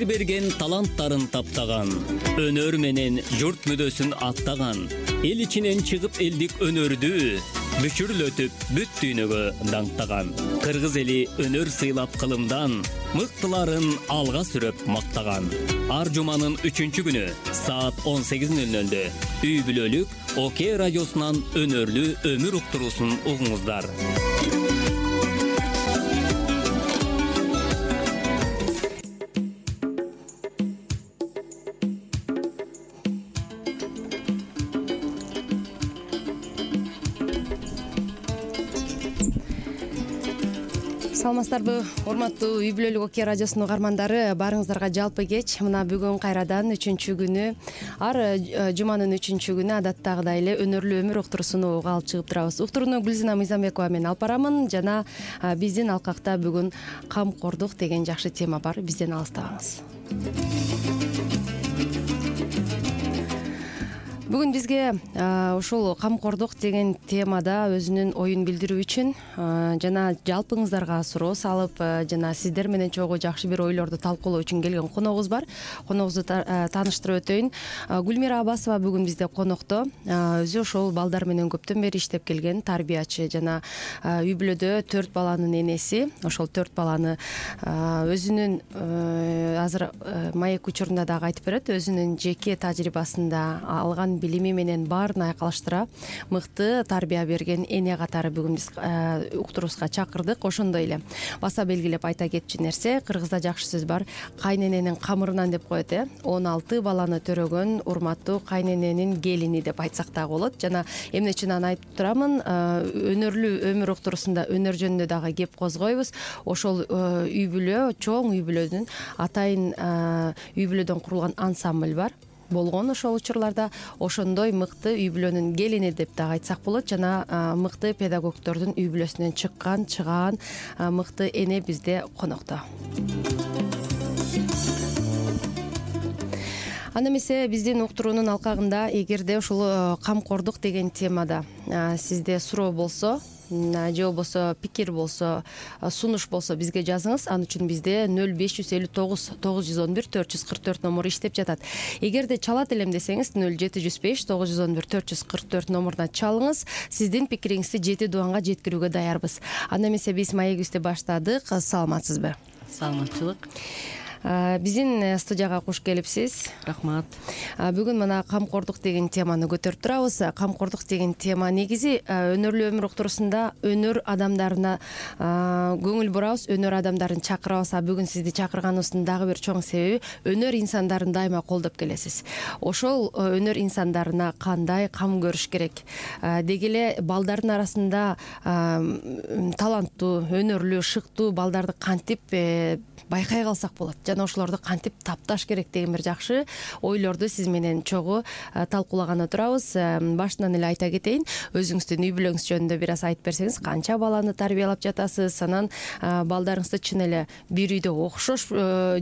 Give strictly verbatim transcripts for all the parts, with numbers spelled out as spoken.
жер берген таланттарын таптаган, өнөр менен журт мүдөсүн аттаган, эл ичинен чыгып элдик өнөрдү бүчүрлөтүп бүт дүйнөгө даңктаган. Кыргыз эли өнөр сыйлап кылымдан, мыктыларын алга сүрөп мактаган. Ар жуманын үчүнчү күнү саат он сегиз нөл нөлдө үй бүлөлүк Окей радиосунан өнөрлүү өмүр уктуруусун угуңуздар. Саламатсыздарбы, урматтуу үй бүлөлүк Окей радиосунун угармандары, баарыңыздарга жалпы кеч. Мына бүгүн кайрадан үчүнчү күнү, ар жуманын үчүнчү күнү адаттагыдай эле өнөрлүү өмүр уктуруусун алып чыгып турабыз. Уктурууну Гүлзина Мыйзамбекова мен алып барамын жана биздин алкакта бүгүн камкордук деген жакшы тема бар. Бизден алыстабаңыз. Бүгүн бизге ушул камкордук деген темада өзүнүн оюн билдирүү үчүн жана жалпыңыздарга суроо салып, жана сиздер менен чогуу жакшы бир ойлорду талкуулоо үчүн келген коногубуз бар. Коногубузду тааныштырып өтөйүн. Гүлмира Абасова бүгүн бизде конокто. Өзү ошол балдар менен көптөн бери иштеп келген тарбиячы жана үй бүлөдө төрт баланын энеси. Ошол төрт баланы өзүнүн азыр маек учурунда дагы айтып берет, өзүнүн жеке тажрыйбасында алган билими менен баарын айкалыштыра мыкты тарбия берген эне катары бүгүн биз уктуруубузга чакырдык. Ошондой эле баса белгилеп айта кетчү нерсе, кыргызда жакшы сөз бар, кайнененин камырынан деп коет, э он алты баланы төрөгөн урматтуу кайнененин келини деп айтсак дагы болот. Жана эмне үчүн аны айтып турамын, өнөрлүү өмүр уктуруусунда өнөр жөнүндө дагы кеп козгойбуз. Ошол үй бүлө, чоң үй бүлөнүн атайын үй бүлөдөн курулган ансамбль бар болгон ошол учурларда, ошондой мыкты үй бүлөнүн келини деп дагы айтсак болот. Жана мыкты педагогдордун үй бүлөсүнөн чыккан, чыгаан мыкты эне бизде конокто. Анда эмесе биздин уктуруунун алкагында эгерде ушул камкордук деген темада сизде суроо болсо, же болбосо пикир болсо, сунуш болсо бизге жазыңыз. Ал үчүн бизде нөл беш жүз элүү тогуз тогуз жүз он бир төрт жүз кырк төрт номуру иштеп жатат. Эгерде чалат элем десеңиз нөл жети жүз беш тогуз жүз он бир төрт жүз кырк төрт номуруна чалыңыз. Сиздин пикириңизди жети дубанга жеткирүүгө даярбыз. Анда эмесе биз маегибизди баштадык. Саламатсызбы? Саламатчылык. Биздин студияга куш келипсиз. Рахмат. Бүгүн мына камкордук деген теманы көтөрүп турабыз. Камкордук деген тема негизи өнөрлүү өмүр уктуруусунда өнөр адамдарына көңүл бурабыз, өнөр адамдарын чакырабыз. Бүгүн сизди чакырганыбыздын дагы бир чоң себеби өнөр инсандарын дайыма колдоп келесиз. Ошол өнөр инсандарына кандай кам көрүш керек? Деги эле балдардын арасында таланттуу, өнөрлүү, шыктуу балдарды кантип байкай калсак болот, жана ошолорду кантип тапташ керек деген бир жакшы ойлорду сиз менен чогуу талкуулаганы турабыз. Башынан эле айта кетейин, өзүңүздүн үй бүлөңүз жөнүндө бир аз айтып берсеңиз, канча баланы тарбиялап жатасыз, анан балдарыңызды чын эле бир үйдө окшош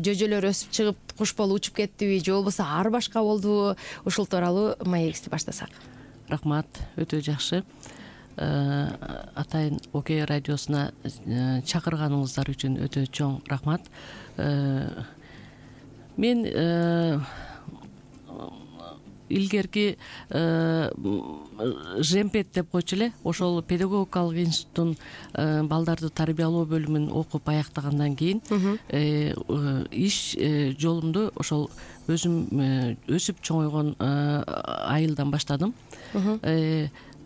жөжөлөр өсүп чыгып куш болуп учуп кеттиби, же болбосо ар башка болдубу? Ушул тууралуу маегибизди баштасак. Рахмат, өтө жакшы. Атайын Окей радиосуна чакырганыңыздар үчүн өтө чоң рахмат. Мен илгерки жемпет деп койчу эле, ошол педагогикалык институттун балдарды тарбиялоо бөлүмүн окуп аяктагандан кийин иш жолумду ошол өзүм өсүп чоңойгон айылдан баштадым.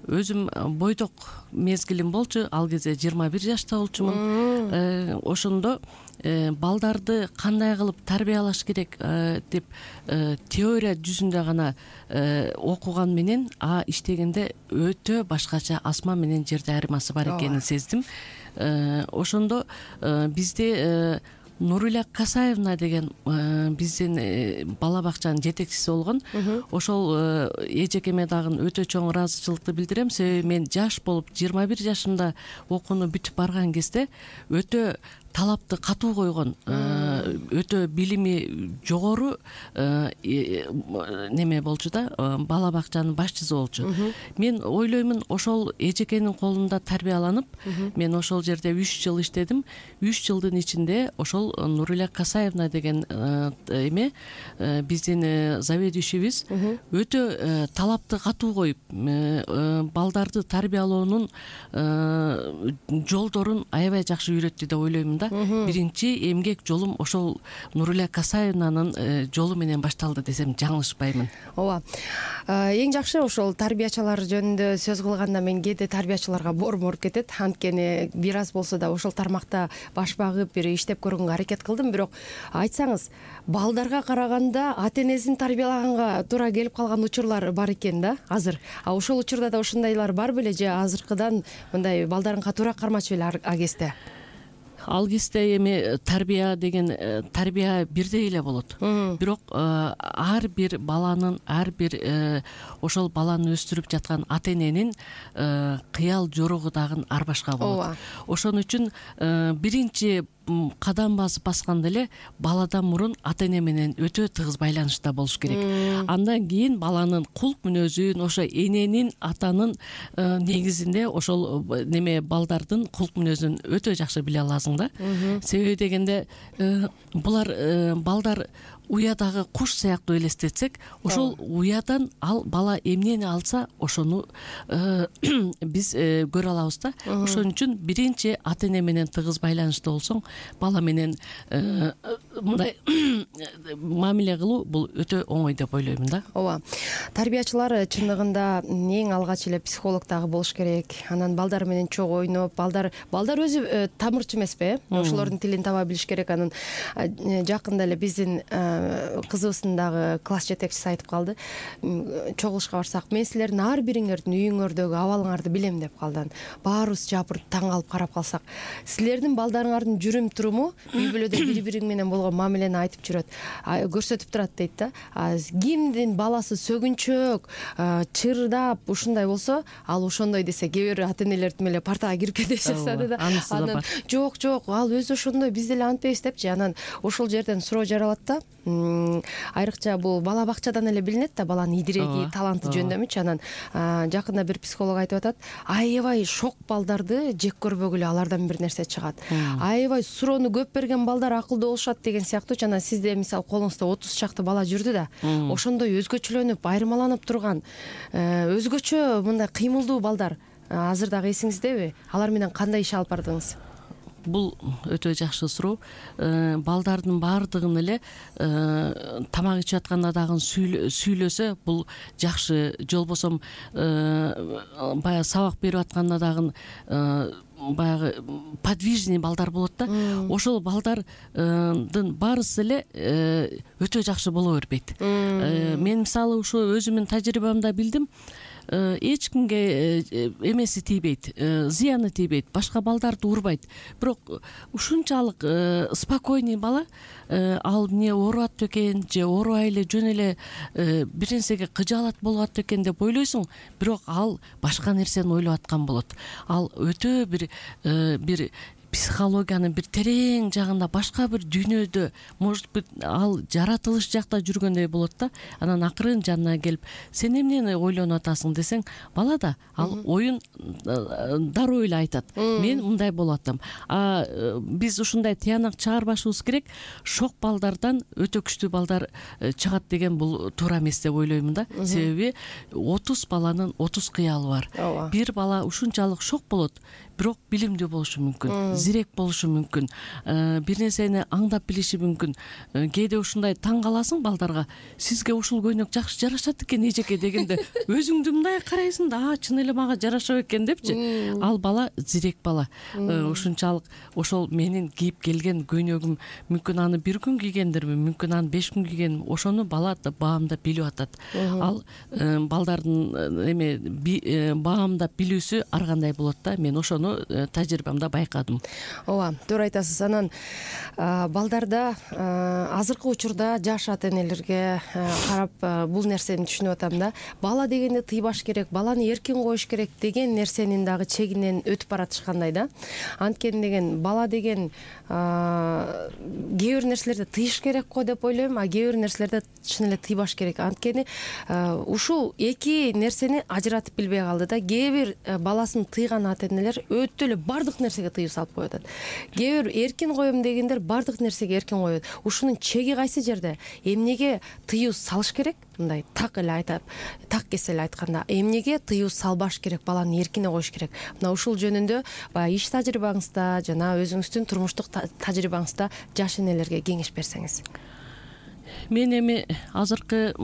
Өзүм бойдок мезгилим болчу, ал кезде жыйырма бир жашта болчумун. Ошондо балдарды кандай кылып тарбиялаш керек деп теория жүзүндө гана окуган менен а иштегенде өтө башкача асман менен жерде айырмасы бар экенин сездим. Ошондо бизде Нуриля Касаевна деген биздин бала бакчанын жетекчиси болгон. Ошол эжекеме дагы өтө чоң ыраазычылыкты билдирем. Себеби мен жаш болуп жыйырма бир жашымда окууну бүтүп барган кезде өтө талапты катуу койгон, өтө билими жогору неме болчу да, бала бакчанын башчысы болчу. Мен ойлоймун, ошол эжекенин колунда тарбияланып, мен ошол жерде үч жыл иштедим. үч жылдын ичинде ошол Нуриля Касаевна деген эме биздин заведующийбиз өтө талапты катуу коюп, балдарды тарбиялоонун жолдорун аябай жакшы үйрөттү деп ойлоймун да. Биринчи эмгек жолум ошол Нуриля Касаевнанын жолу менен башталды десем жаңылышпаймын. Ооба. Эң жакшы ошол тарбиячылар жөнүндө сөз кылганда мен кээде тарбиячыларга боорум ооруп кетет. Анткени бир аз болсо да ошол тармакта баш багып бир иштеп көргөнгө аракет кылдым, бирок айтсаңыз, балдарга караганда ата энесин тарбиялаганга туура келип калган учурлар бар экен да азыр. А ошол учурда да ошондойлор бар беле же азыркыдан мындай балдарын катуураак кармачу беле ал кезде? Ал кезде эми тарбия деген тарбия бирдей эле болот. Бирок ар бир баланын, ар бир ошол баланы өстүрүп жаткан ата эненин кыял жоругу дагы ар башка болот. Ошон үчүн биринчи кадам басып басканда эле баладан мурун ата эне менен өтө тыгыз байланышта болуш керек. Андан кийин баланын кулк мүнөзүн, ошо эненин, атанын негизинде ошол неме балдардын кулк мүнөзүн өтө жакшы биле аласың да. Себеби дегенде булар балдар уядагы куш сыяктуу элестетсек, ошол уядан ал бала эмнени алса ошону биз көрө алабыз да. Ошон үчүн биринчи ата эне менен тыгыз байланышта болсоң, бала менен мындай мамиле кылуу бул өтө оңой деп ойлоймун да. Ооба. Тарбиячылар чындыгында эң алгач эле психолог дагы болуш керек. Анан балдар менен чогуу ойноп, балдар балдар өзү тамырчы эмеспи? Ошолордун тилин таба билиш керек. Анан жакында эле биздин кызыбыздын дагы класс жетекчиси айтып калды. Чогулушка барсак, мен силердин ар бириңердин үйүңөрдөгү абалыңарды билем деп калды. Баарыбыз жапырып таң калып карап калсак, силердин балдарыңардын жүрүм туруму үй бүлөдө бири-бириң менен болгон мамилени айтып жүрөт, көрсөтүп турат дейт да. Кимдин баласы сөгүнчөк, чырдап ушундай болсо, ал ошондой десе, кээ бир ата энелер эле партага кирип кете баштады да. Анан жок, жок, ал өзү ошондой, биз деле антпейбиз депчи. Анан ошол жерден суроо жаралат да. Айрыкча бул бала бакчадан эле билинет да, баланын идиреги, таланты жөндөмүчү. Анан жакында бир психолог айтып атат, аябай шок балдарды жек көрбөгүлө алардан бир нерсе чыгат. Аябай суроону көп берген балдар акылдуу болушат деген сыяктуу. Жана сизде мисалы колуңузда отуз чакты бала жүрдү да, ошондой өзгөчөлөнүп, айырмаланып турган, өзгөчө мындай кыймылдуу балдар азыр дагы эсиңиздеби? Алар менен кандай иш алып бардыңыз? Бул өтө жакшы суроо. Балдардын баардыгын эле тамак ичип атканда дагы сүйлөсө бул жакшы. Жолбосом баягы сабак берип атканда дагы баягы подвижный балдар болот да. Ошол балдардын баарысы эле өтө жакшы боло бербейт. Мен мисалы ушу өзүмдүн тажрыйбамда билдим. Эч кимге эмеси тийбейт, зыяны тийбейт, башка балдарды урбайт. Бирок ушунчалык спокойный бала ал эмне ооруп атты экен же оорубай эле жөн эле бир нерсеге кыжаалат болуп атты экен деп ойлойсуң, бирок ал башка нерсени ойлоп аткан болот. Ал өтө бир бир психологиянын бир терең жагында, башка бир дүйнөдө, может быть, ал жаратылыш жакта жүргөндөй болот да. Анан акырын жанына келип, сен эмнени ойлонуп атасың десең, бала да ал оюн дароо эле айтат. Мен мындай болуп атам. А биз ушундай тыянак чыгарбашыбыз керек. Шок балдардан өтө күчтүү балдар чыгат деген бул туура эмес деп ойлоймун да. Себеби отуз баланын отуз кыялы бар. Бир бала ушунчалык шок болот, бирок билимдүү болушу мүмкүн, зирек болушу мүмкүн, бир нерсени аңдап билиши мүмкүн. Кээде ушундай таң каласың балдарга, сизге ушул көйнөк жакшы жарашат экен эжеке дегенде, өзүңдү мындай карайсың да, а чын эле мага жарашат экен депчи. Ал бала зирек бала. Ушунчалык ошол менин кийип келген көйнөгүм мүмкүн аны бир күн кийгендирмин, мүмкүн аны беш күн кийген, ошону бала баамдап билип атат. Ал балдардын эме баамдап билүүсү ар кандай болот да. Мен ошону тажрыйбамда байкадым. ооба, туура айтасыз. Анан балдарда азыркы учурда жаш ата энелерге карап бул нерсени түшүнүп атам да. Бала дегенди тыйбаш керек, баланы эркин коюш керек деген нерсенин дагы чегинен өтүп баратышкандай да. Анткени деген бала деген кээ бир нерселерди тыйыш керек го деп ойлойм, а кээ бир нерселерди чын эле тыйбаш керек. Анткени ушул эки нерсени ажыратып билбей калды да. Кээ бир баласын тыйган ата энелер өтө эле бардык нерсеге тыюу салып коюп атат. Кээ бир эркин коем дегендер бардык нерсеге эркин коет. Ушунун чеги кайсы жерде? Эмнеге тыюу салыш керек? Мындай так эле айтып, так кесе эле айтканда, эмнеге тыюу салбаш керек, баланы эркине коюш керек. Мына ушул жөнүндө баягы иш тажрыйбаңызда жана өзүңүздүн турмуштук тажрыйбаңызда жаш энелерге кеңеш берсеңиз. Мен эми азыркы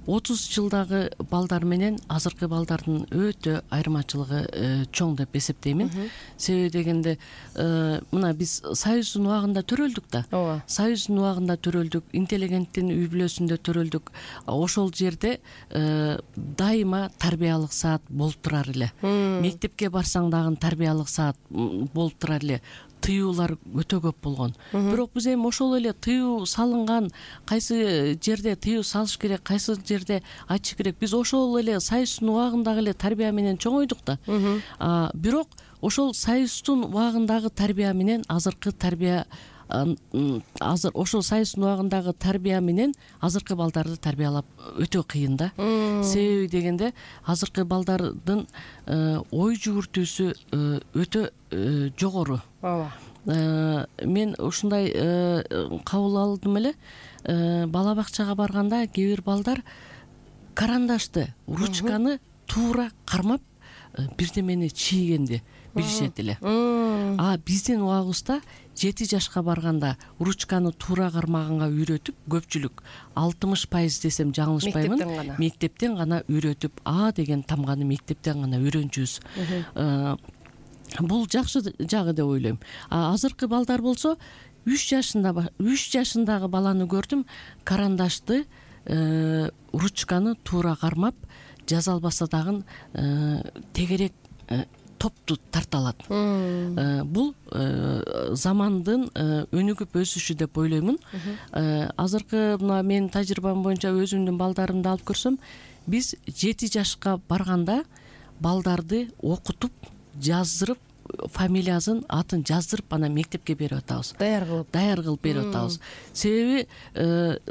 отуз жылдагы балдар менен азыркы балдардын өтө айырмачылыгы чоң деп эсептеймин. Себеби дегенде мына биз Союздун убагында төрөлдүк да. Ооба. Союздун убагында төрөлдүк, интеллигенттин үй бүлөсүндө төрөлдүк. Ошол жерде дайыма тарбиялык саат болуп турар эле. Мектепке барсаң дагы тарбиялык саат болуп турар эле. Тыюулар өтө көп болгон. Бирок биз эми ошол эле тыюу салынган, кайсы жерде тыюу салыш керек, кайсы жерде айтыш керек. Биз ошол эле Союздун убагындагы эле тарбия менен чоңойдук да. Бирок ошол Союздун убагындагы тарбия менен азыркы тарбия азыр ошол Союздун убагындагы тарбия менен азыркы балдарды тарбиялап өтө кыйын да. Себеби дегенде азыркы балдардын ой жүгүртүүсү өтө жогору. Ооба. Мен ушундай кабыл алдым эле. Бала бакчага барганда кээ бир балдар карандашты, ручканы туура кармап бирдемени чийгенди билишет эле. А биздин убагыбызда жети жашка барганда ручканы туура кармаганга үйрөтүп, көпчүлүк алтымыш пайыз десем жаңылышпаймын, Мектептен гана. Мектептен гана үйрөтүп, А деген тамганы мектептен гана үйрөнчүбүз. Бул жакшы жагы деп ойлойм. А азыркы балдар болсо үч жашында үч жашындагы баланы көрдүм, карандашты, ручканы туура кармап, жаза албаса дагы тегерек топту тарта алат. Бул замандын өнүгүп өсүшү деп ойлоймун. Азыркы мына менин тажрыйбам боюнча өзүмдүн балдарымды алып көрсөм, биз жети жашка барганда балдарды окутуп, жаздырып, фамилиясын, атын жаздырып, анан мектепке берип атабыз. Даяр кылып. Даяр кылып берип атабыз. Себеби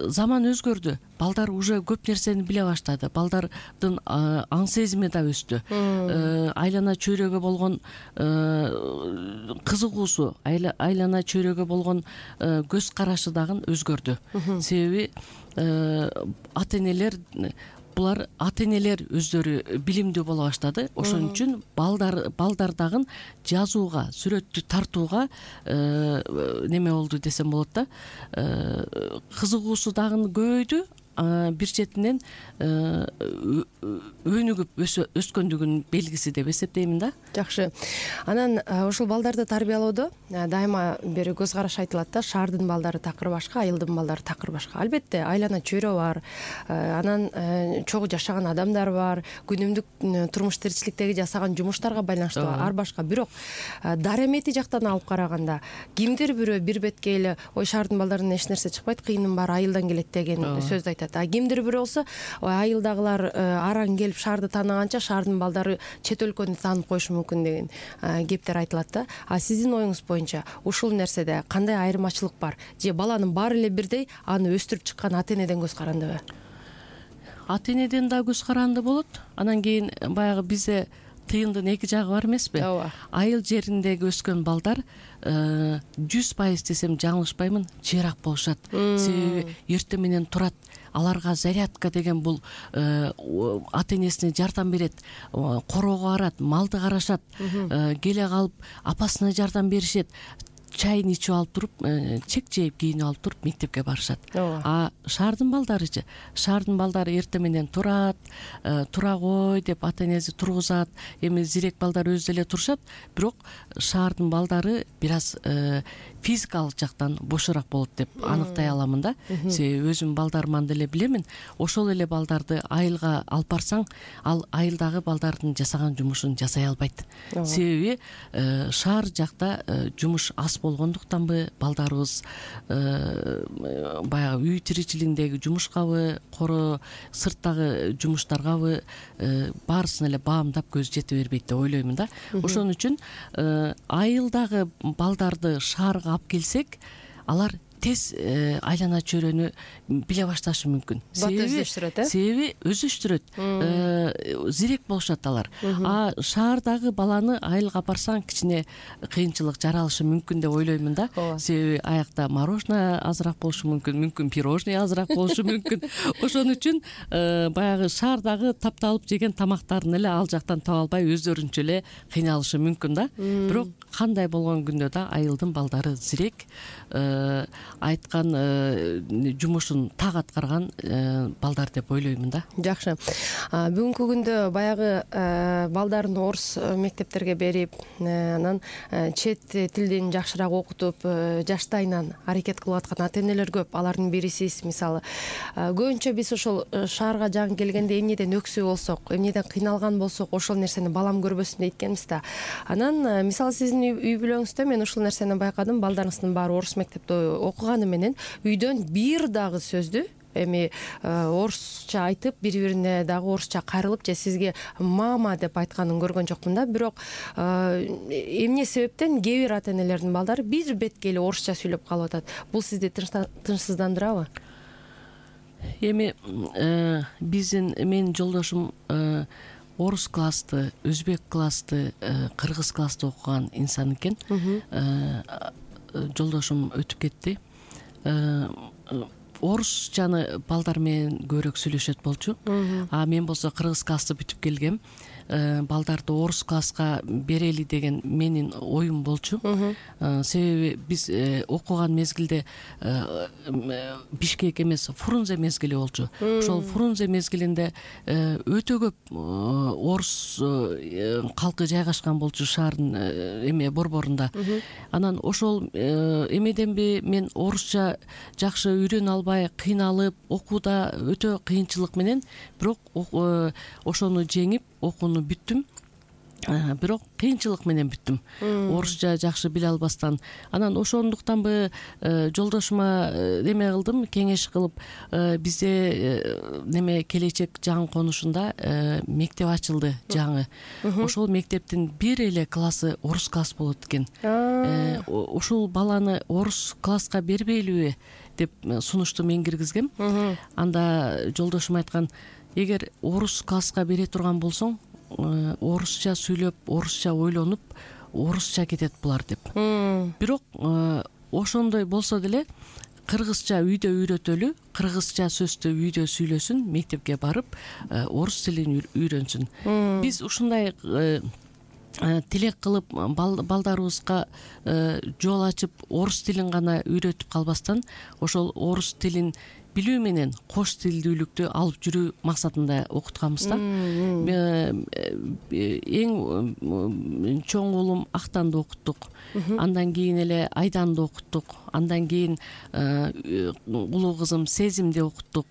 заман өзгөрдү. Балдар уже көп нерсени биле баштады. Балдардын аң сезими да өстү. Айлана чөйрөгө болгон кызыгуусу, айлана чөйрөгө болгон көз карашы дагы өзгөрдү. Себеби ата энелер булар ата энелер өздөрү билимдүү боло баштады. Ошон үчүн балдар балдар дагы жазууга, сүрөттү тартууга неме болду десем болот да. Кызыгуусу дагы көбөйдү. Бир четинен өнүгүп өскөндүгүнүн белгиси деп эсептеймин да. Жакшы. Анан ушул балдарды тарбиялоодо дайыма бир көз караш айтылат да, шаардын балдары такыр башка, айылдын балдары такыр башка. Албетте, айлана чөйрө бар, анан чогуу жашаган адамдар бар, күнүмдүк турмуш тиричиликтеги жасаган жумуштарга байланыштуу ар башка. Бирок дарамети жактан алып караганда, кимдир бирөө бир бетке эле ой шаардын балдарынан эч нерсе чыкпайт, кыйынын баары айылдан келет деген сөздү айтат. А кимдир бирөө болсо, айылдагылар араң келип шаарды тааныганча шаардын балдары чет өлкөнү таанып коюшу мүмкүн деген кептер айтылат да. А сиздин оюңуз боюнча ушул нерседе кандай айырмачылык бар? Же баланын баары эле бирдей, аны өстүрүп чыккан ата энеден көз карандыбы? Ата энеден да көз каранды болот. Анан кийин баягы бизде тыйындын эки жагы бар эмеспи? Ооба. Айыл жериндеги өскөн балдар жүз пайыз десем жаңылышпаймын, жыйраак болушат. Себеби эртең менен турат. Аларга зарядка деген бул ата энесине жардам берет, короого барат, малды карашат, келе калып апасына жардам беришет. чайын ичип алып туруп, чек жээп кийинип алып туруп мектепке барышат. А шаардын балдарычы, шаардын балдары эртең менен турат, тура кой деп ата энеси тургузат. Эми зирек балдар өзү эле турушат, бирок шаардын балдары бир аз физикалык жактан бошораак болот деп аныктай аламын да. Себеби өзүм балдарыман деле билемин. Ошол эле балдарды айылга алып барсаң, ал айылдагы балдардын жасаган жумушун жасай албайт. Себеби шаар жакта жумуш аз болгондуктанбы, балдарыбыз баягы үй тиричилигиндеги жумушкабы, коро сырттагы жумуштаргабы баарысын эле баамдап көз жете бербейт деп ойлоймун да. Ошон үчүн айылдагы балдарды шаарга алып келсек, алар тез айлана чөйрөнү биле башташы мүмкүн. Себеби өздөштүрөт, зирек болушат алар. А шаардагы баланы айылга барсаң кичине кыйынчылык жаралышы мүмкүн деп ойлоймун да. Себеби аякта мороженое азыраак болушу мүмкүн, мүмкүн пирожный азыраак болушу мүмкүн. Ошон үчүн баягы шаардагы тапталып жеген тамактарын эле ал жактан таба албай өздөрүнчө эле кыйналышы мүмкүн да. Бирок кандай болгон күндө да айылдын балдары зирек, айткан жумушун так аткарган балдар деп ойлоймун да. Жакшы. Бүгүнкү күндө баягы балдарын орус мектептерге берип, анан чет тилдин жакшыраак окутуп, жаштайынан аракет кылып аткан ата энелер көп. Алардын бири сиз, мисалы. Көбүнчө биз ошол шаарга жагын келгенде эмнеден өксү болсок, эмнеден кыйналган болсок, ошол нерсени балам көрбөсүн дейткенбиз да. Анан мисалы сиздин үй бүлөңүздө мен ушул нерсени байкадым. Балдарыңыздын баары орус мектепте окуганы менен үйдөн бир дагы сөздү эми орусча айтып, бири-бирине дагы орусча кайрылып же сизге мама деп айтканын көргөн жокмун да. Бирок эмне себептен кээ бир ата энелердин балдары бир бетке эле орусча сүйлөп калып атат. Бул сизди тынчсыздандырабы? Эми биздин менин жолдошум орус классты, өзбек классты, кыргыз классты окуган инсан экен. Жолдошум өтүп кетти. Орусчаны балдар менен көбүрөөк сүйлөшөт болчу. А мен болсо кыргыз классты бүтүп келгем. Балдарды орус класска берели деген менин оюм болчу. Себеби биз окуган мезгилде Бишкек эмес, Фрунзе мезгили болчу. Ошол Фрунзе мезгилинде өтө көп орус калкы жайгашкан болчу шаардын эме борборунда. Анан ошол эмеденби мен орусча жакшы үйрөнө албай, кыйналып, окууда өтө кыйынчылык менен, бирок ошону жеңип окууну бүттүм. Бирок кыйынчылык менен бүттүм. Орусча жакшы биле албастан. Анан ошондуктанбы жолдошума неме кылдым, кеңеш кылып, бизде неме келечек жаңы конушунда мектеп ачылды жаңы. Ошол мектептин бир эле классы орус класс болот экен. Ушул баланы орус класска бербейлиби деп сунушту мен киргизгем. Анда жолдошум айткан, эгер орус класска бере турган болсоң, орусча сүйлөп, орусча ойлонуп, орусча кетет булар деп. Бирок ошондой болсо деле кыргызча үйдө үйрөтөлү, кыргызча сөздү үйдө сүйлөсүн, мектепке барып орус тилин үйрөнсүн. Биз ушундай тилек кылып балдарыбызга жол ачып, орус тилин гана үйрөтүп калбастан, ошол орус тилин билүү менен кош тилдүүлүктү алып жүрүү максатында окутканбыз да. Эң чоң уулум Актанды окуттук. Андан кийин эле Айданды окуттук. Андан кийин улуу кызым Сезимди окуттук.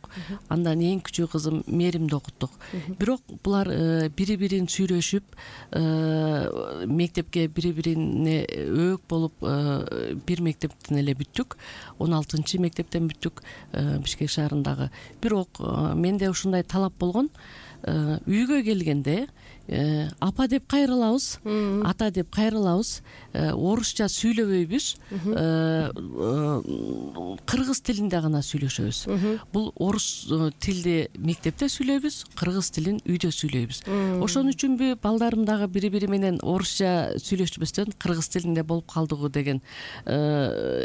Андан эң кичүү кызым Меримди окуттук. Бирок булар бири-бирин сүйлөшүп, мектепке бири-бирине өөк болуп, бир мектептен эле бүттүк. он алтынчы мектептен бүттүк. Бишкек шаарындагы. Бирок менде ушундай талап болгон, үйгө келгенде апа деп кайрылабыз, ата деп кайрылабыз, орусча сүйлөбөйбүз, кыргыз тилинде гана сүйлөшөбүз. Бул орус тилди мектепте сүйлөйбүз, кыргыз тилин үйдө сүйлөйбүз. Ошон үчүнбү балдарым дагы бири-бири менен орусча сүйлөшпөстөн кыргыз тилинде болуп калдыгы деген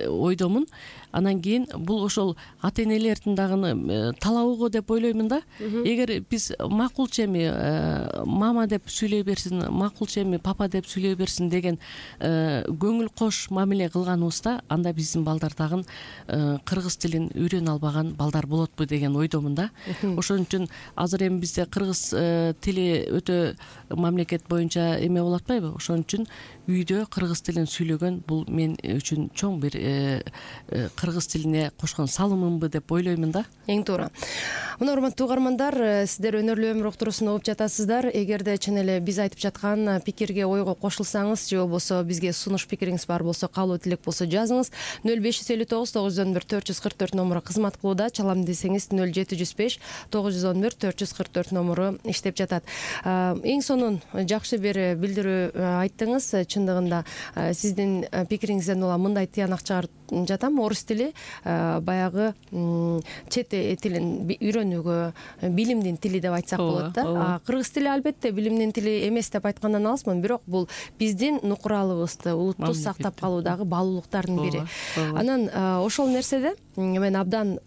ойдомун. Анан кийин бул ошол ата энелердин дагы талабы го деп ойлоймун да. Эгер биз макулчу эми мама деп сүйлөй берсин, макулчу эми папа деп сүйлөй берсин деген көңүл кош мамиле кылганыбызда, анда биздин балдар дагы кыргыз тилин үйрөнө албаган балдар болотпу деген ойдомун да. Ошон үчүн азыр эми бизде кыргыз тили өтө мамлекет боюнча эме болуп атпайбы? Ошон үчүн үйдө кыргыз тилин сүйлөгөн бул мен үчүн чоң бир кыргыз тилине кошкон салымымбы деп ойлоймун да. Эң туура. Мына урматтуу угармандар, сиздер өнөрлүү өмүр уктуруусун угуп жатасыздар. Эгерде чын эле биз айтып жаткан пикирге, ойго кошулсаңыз же болбосо бизге сунуш пикириңиз бар болсо, каалоо тилек болсо жазыңыз. нөл беш жүз элүү тогуз тогуз жүз он бир төрт жүз кырк төрт номуру кызмат кылууда. Чалам десеңиз нөл жети жүз беш тогуз жүз он бир төрт жүз кырк төрт номуру иштеп жатат. Эң сонун жакшы бир билдирүү айттыңыз. Чындыгында сиздин пикириңизден улам мындай тыянак чыгарып жатам. Орус тили баягы чет тилин үйрөнүүгө билимдин тили деп айтсак болот да. Кыргыз тили албетте билимдин тили эмес деп айткандан алысмын, бирок бул биздин нукуралыбызды, улутту сактап калуудагы баалуулуктардын бири. Анан ошол нерседе мен абдан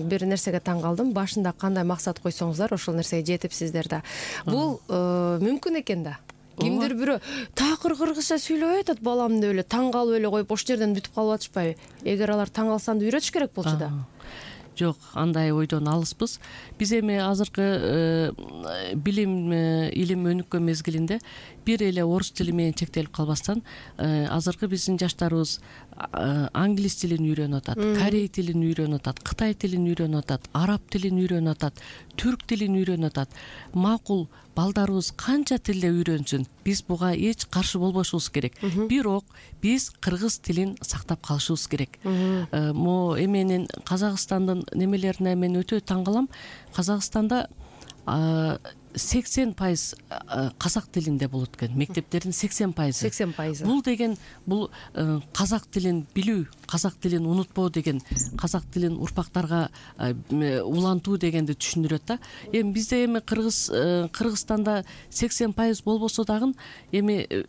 бир нерсеге таң калдым. Башында кандай максат койсоңуздар, ошол нерсеге жетипсиздер да. Бул мүмкүн экен да. Кимдир бирөө такыр кыргызча сүйлөп атат балам деп эле таң калып эле коюп ошол жерден бүтүп калып атышпайбы? Эгер алар таң калса анда үйрөтүш керек болчу да. Жок, андай ойдон алыспыз. Биз эми азыркы билим илим өнүккөн мезгилинде бир эле орус тили менен чектелип калбастан, азыркы биздин жаштарыбыз англис тилин үйрөнүп атат, корей тилин үйрөнүп атат, кытай тилин үйрөнүп атат, араб тилин үйрөнүп атат, түрк тилин үйрөнүп атат. Макул, балдарыбыз канча тилде үйрөнсүн, биз буга эч каршы болбошубуз керек. Бирок биз кыргыз тилин сактап калышыбыз керек. Мо эменин Казакстандын немелерине мен өтө таң калам. Казакстанда сексен пайыз казак тилинде болот экен. Мектептердин сексен пайызы. сексен пайызы. Бул деген бул казак тилин билүү, казак тилин унутпоо деген, казак тилин урпактарга улантуу дегенди түшүндүрөт да. Эми бизде эми Кыргыз Кыргызстанда сексен пайыз болбосо дагы эми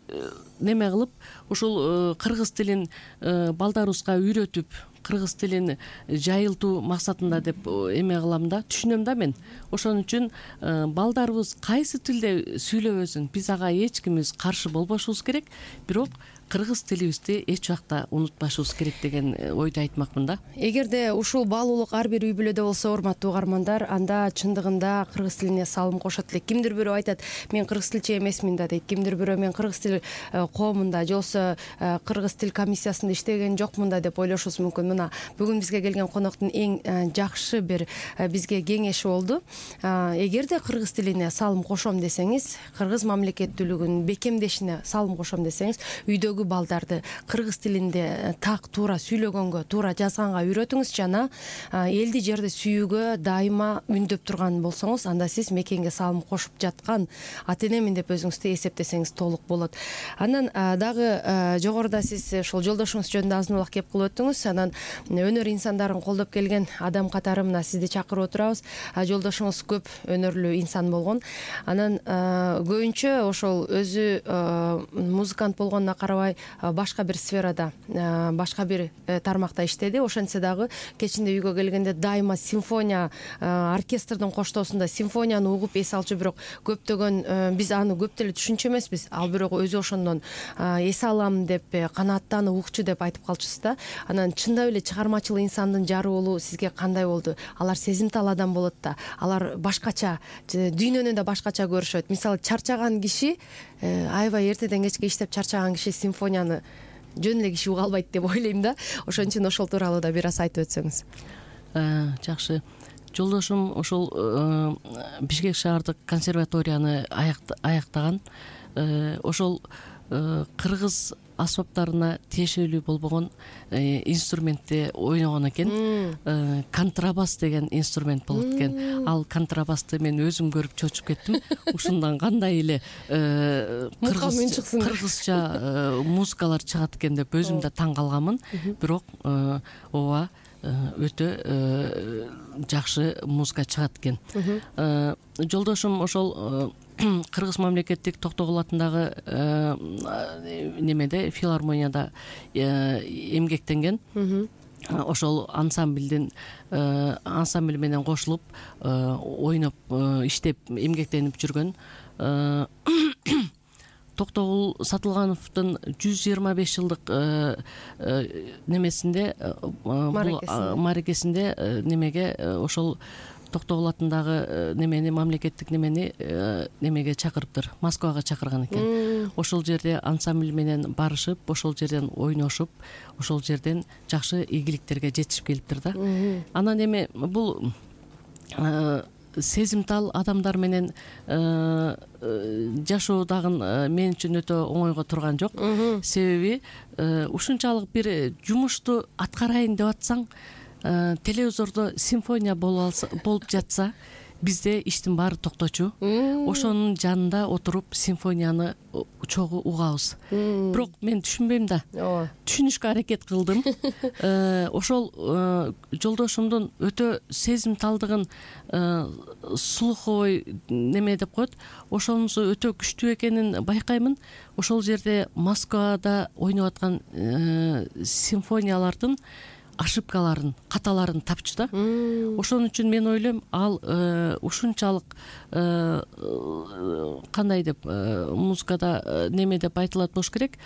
неме кылып ушул кыргыз тилин балдарыбызга үйрөтүп, кыргыз тилин жайылтуу максатында деп эме кылам да, түшүнөм да мен. Ошон үчүн балдарыбыз кайсы тилде сүйлөбөсүн, биз ага эч кимибиз каршы болбошубуз керек, бирок кыргыз тилибизди эч убакта унутпашыбыз керек деген ойду айтмакмын да. Эгерде ушул баалуулук ар бир үй бүлөдө болсо, урматтуу угармандар, анда чындыгында кыргыз тилине салым кошот элек. Кимдир бирөө айтат, мен кыргыз тилчи эмесмин да дейт. Кимдир бирөө мен кыргыз тил коомунда же болбосо кыргыз тил комиссиясында иштеген жокмун да деп ойлошубуз мүмкүн. Мына бүгүн бизге келген коноктун эң жакшы бир бизге кеңеши болду. Эгерде кыргыз тилине салым кошом десеңиз, кыргыз мамлекеттүүлүгүнүн бекемдешине салым кошом десеңиз, үйдөгү балдарды кыргыз тилинде так туура сүйлөгөнгө, туура жазганга үйрөтүңүз жана элди жерди сүйүүгө дайыма үндөп турган болсоңуз, анда сиз мекенге салым кошуп жаткан ата энемин деп өзүңүздү эсептесеңиз толук болот. Анан дагы жогоруда сиз ошол жолдошуңуз жөнүндө азын улак кеп кылып өттүңүз. Анан өнөр инсандарын колдоп келген адам катары мына сизди чакырып отурабыз. Жолдошуңуз көп өнөрлүү инсан болгон. Анан көбүнчө ошол өзү музыкант болгонуна карабай башка бир сферада, башка бир тармакта иштеди. Ошентсе дагы кечинде үйгө келгенде дайыма симфония оркестрдин коштоосунда симфонияны угуп эс алчу, бирок көптөгөн биз аны көп деле түшүнчү эмеспиз. Ал бирок өзү ошондон эс алам деп, канааттанып укчу деп айтып калчусуз да. Анан чындап эле чыгармачыл инсандын жары болуу сизге кандай болду? Алар сезимтал адам болот да. Алар башкача, дүйнөнү да башкача көрүшөт. Мисалы, чарчаган киши, аябай эртеден кечке иштеп чарчаган киши симфонияны жөн эле киши уга албайт деп ойлойм да. Ошон үчүн ошол тууралуу да бир аз айтып өтсөңүз. Жакшы. Жолдошум ошол Бишкек шаардык консерваторияны аяктаган. Ошол кыргыз асбаптарына тиешелүү болбогон инструментти ойногон экен. Контрабас деген инструмент болот экен. Ал контрабасты мен өзүм көрүп чочуп кеттим. Ушундан кандай эле кыргызча музыкалар чыгат экен деп өзүм да таң калганмын. Бирок ооба өтө жакшы музыка чыгат экен. Жолдошум ошол Кыргыз мамлекеттик Токтогул атындагы немеде филармонияда эмгектенген. Ошол ансамблдин ансамбль менен кошулуп ойноп иштеп эмгектенип жүргөн. Токтогул Сатылгановдун жүз жыйырма беш жылдык немесинде мааракесинде немеге ошол Токтогул атындагы немени мамлекеттик немени немеге чакырыптыр, Москвага чакырган экен. Ошол жерде ансамбль менен барышып, ошол жерден ойношуп, ошол жерден жакшы ийгиликтерге жетишип келиптир да. Анан эми бул сезимтал адамдар менен жашоо дагы мен үчүн өтө оңойго турган жок. Себеби ушунчалык бир жумушту аткарайын деп атсаң, телевизордо симфония болуп жатса, бизде иштин баары токточу. Ошонун жанында отуруп симфонияны чогуу угабыз. Бирок мен түшүнбөйм да. Түшүнүшкө аракет кылдым. Ошол жолдошумдун өтө сезимталдыгын слуховой неме деп коет. Ошонусу өтө күчтүү экенин байкаймын. Ошол жерде Москвада ойноп аткан симфониялардын ошибкаларын, каталарын тапчу да. Ошон үчүн мен ойлойм, ал ушунчалык кандай деп музыкада неме деп айтылат болуш керек.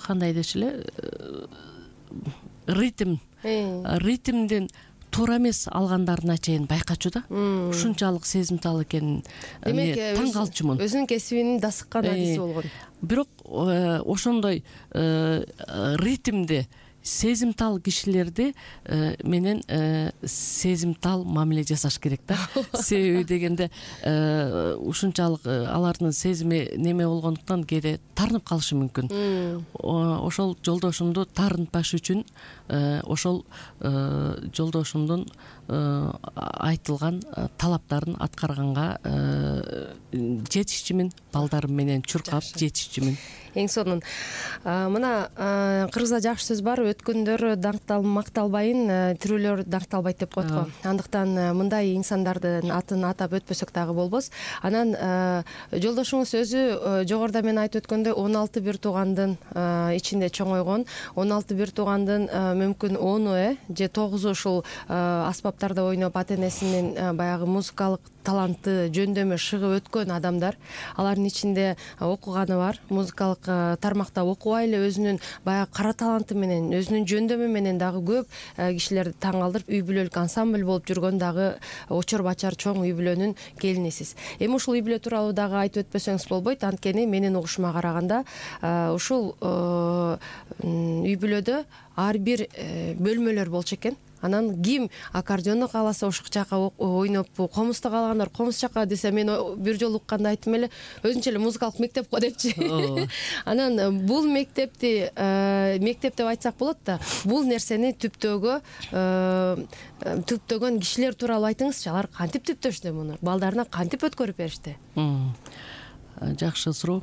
Кандай деши эле, ритм, ритмден туура эмес алгандарына чейин байкачу да. Ушунчалык сезимтал экенин таң калчумун. Өзүнүн кесибинин дасыккан адиси болгон. Бирок ошондой ритмде сезимтал кишилерди менен сезимтал мамиле жасаш керек да. Себеби дегенде ушунчалык алардын сезими неме болгондуктан кээде тарынып калышы мүмкүн. Ошол жолдошумду тарынтпаш үчүн ошол жолдошумдун айтылган талаптарын аткарганга жетишчүмүн, балдарым менен чуркап жетишчүмүн. Эң сонун. Мына кыргызда жакшы сөз бар, өткөндөр даңктал макталбайын, тирүүлөр даңкталбайт деп коет го. Андыктан мындай инсандардын атын атап өтпөсөк дагы болбос. Анан жолдошуңуз өзү жогоруда мен айтып өткөндөй он алты бир туугандын ичинде чоңойгон. он алты бир туугандын мүмкүн ону э же тогузу ушул аспаптарда ойноп ата-энесинин баягы музыкалык талантты жөндөмө шыгып өткөн адамдар. Алардын ичинде окуганы бар, музыкалык тармакта окубай эле өзүнүн баягы кара таланты менен, өзүнүн жөндөмү менен дагы көп кишилерди таң калтырып, үй бүлөлүк ансамбль болуп жүргөн дагы очор бачар чоң үй бүлөнүн келинисиз. Эми ушул үй бүлө тууралуу дагы айтып өтпөсөңүз болбойт, анткени менин угушума караганда ушул үй бүлөдө ар бир бөлмөлөр болчу экен. Анан ким аккордеондо кааласа ошол жака ойноп, комузда каалагандар комуз жака десе, мен бир жолу укканда айттым эле, өзүнчө эле музыкалык мектеп го депчи. Анан бул мектепти мектеп деп айтсак болот да, бул нерсени түптөөгө түптөгөн кишилер тууралуу айтыңызчы. Алар кантип түптөштү муну? Балдарына кантип өткөрүп беришти? Жакшы суроо.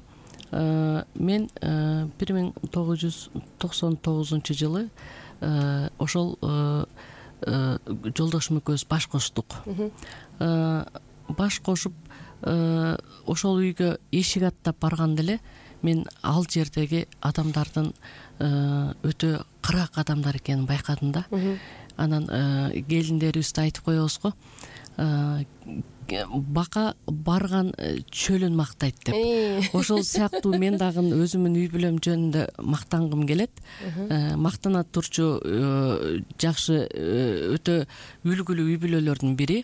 Мен бир миң тогуз жүз токсон тогузунчу жылы ошол жолдошум экөөбүз баш коштук. Баш кошуп ошол үйгө эшик аттап барганда эле мен ал жердеги адамдардын өтө кырак адамдар экенин байкадым да. Анан келиндерибизди айтып коебуз го, бака барган чөлүн мактайт деп. Ошол сыяктуу мен дагы өзүмдүн үй бүлөм жөнүндө мактангым келет. Мактана турчу жакшы өтө үлгүлүү үй бүлөлөрдүн бири.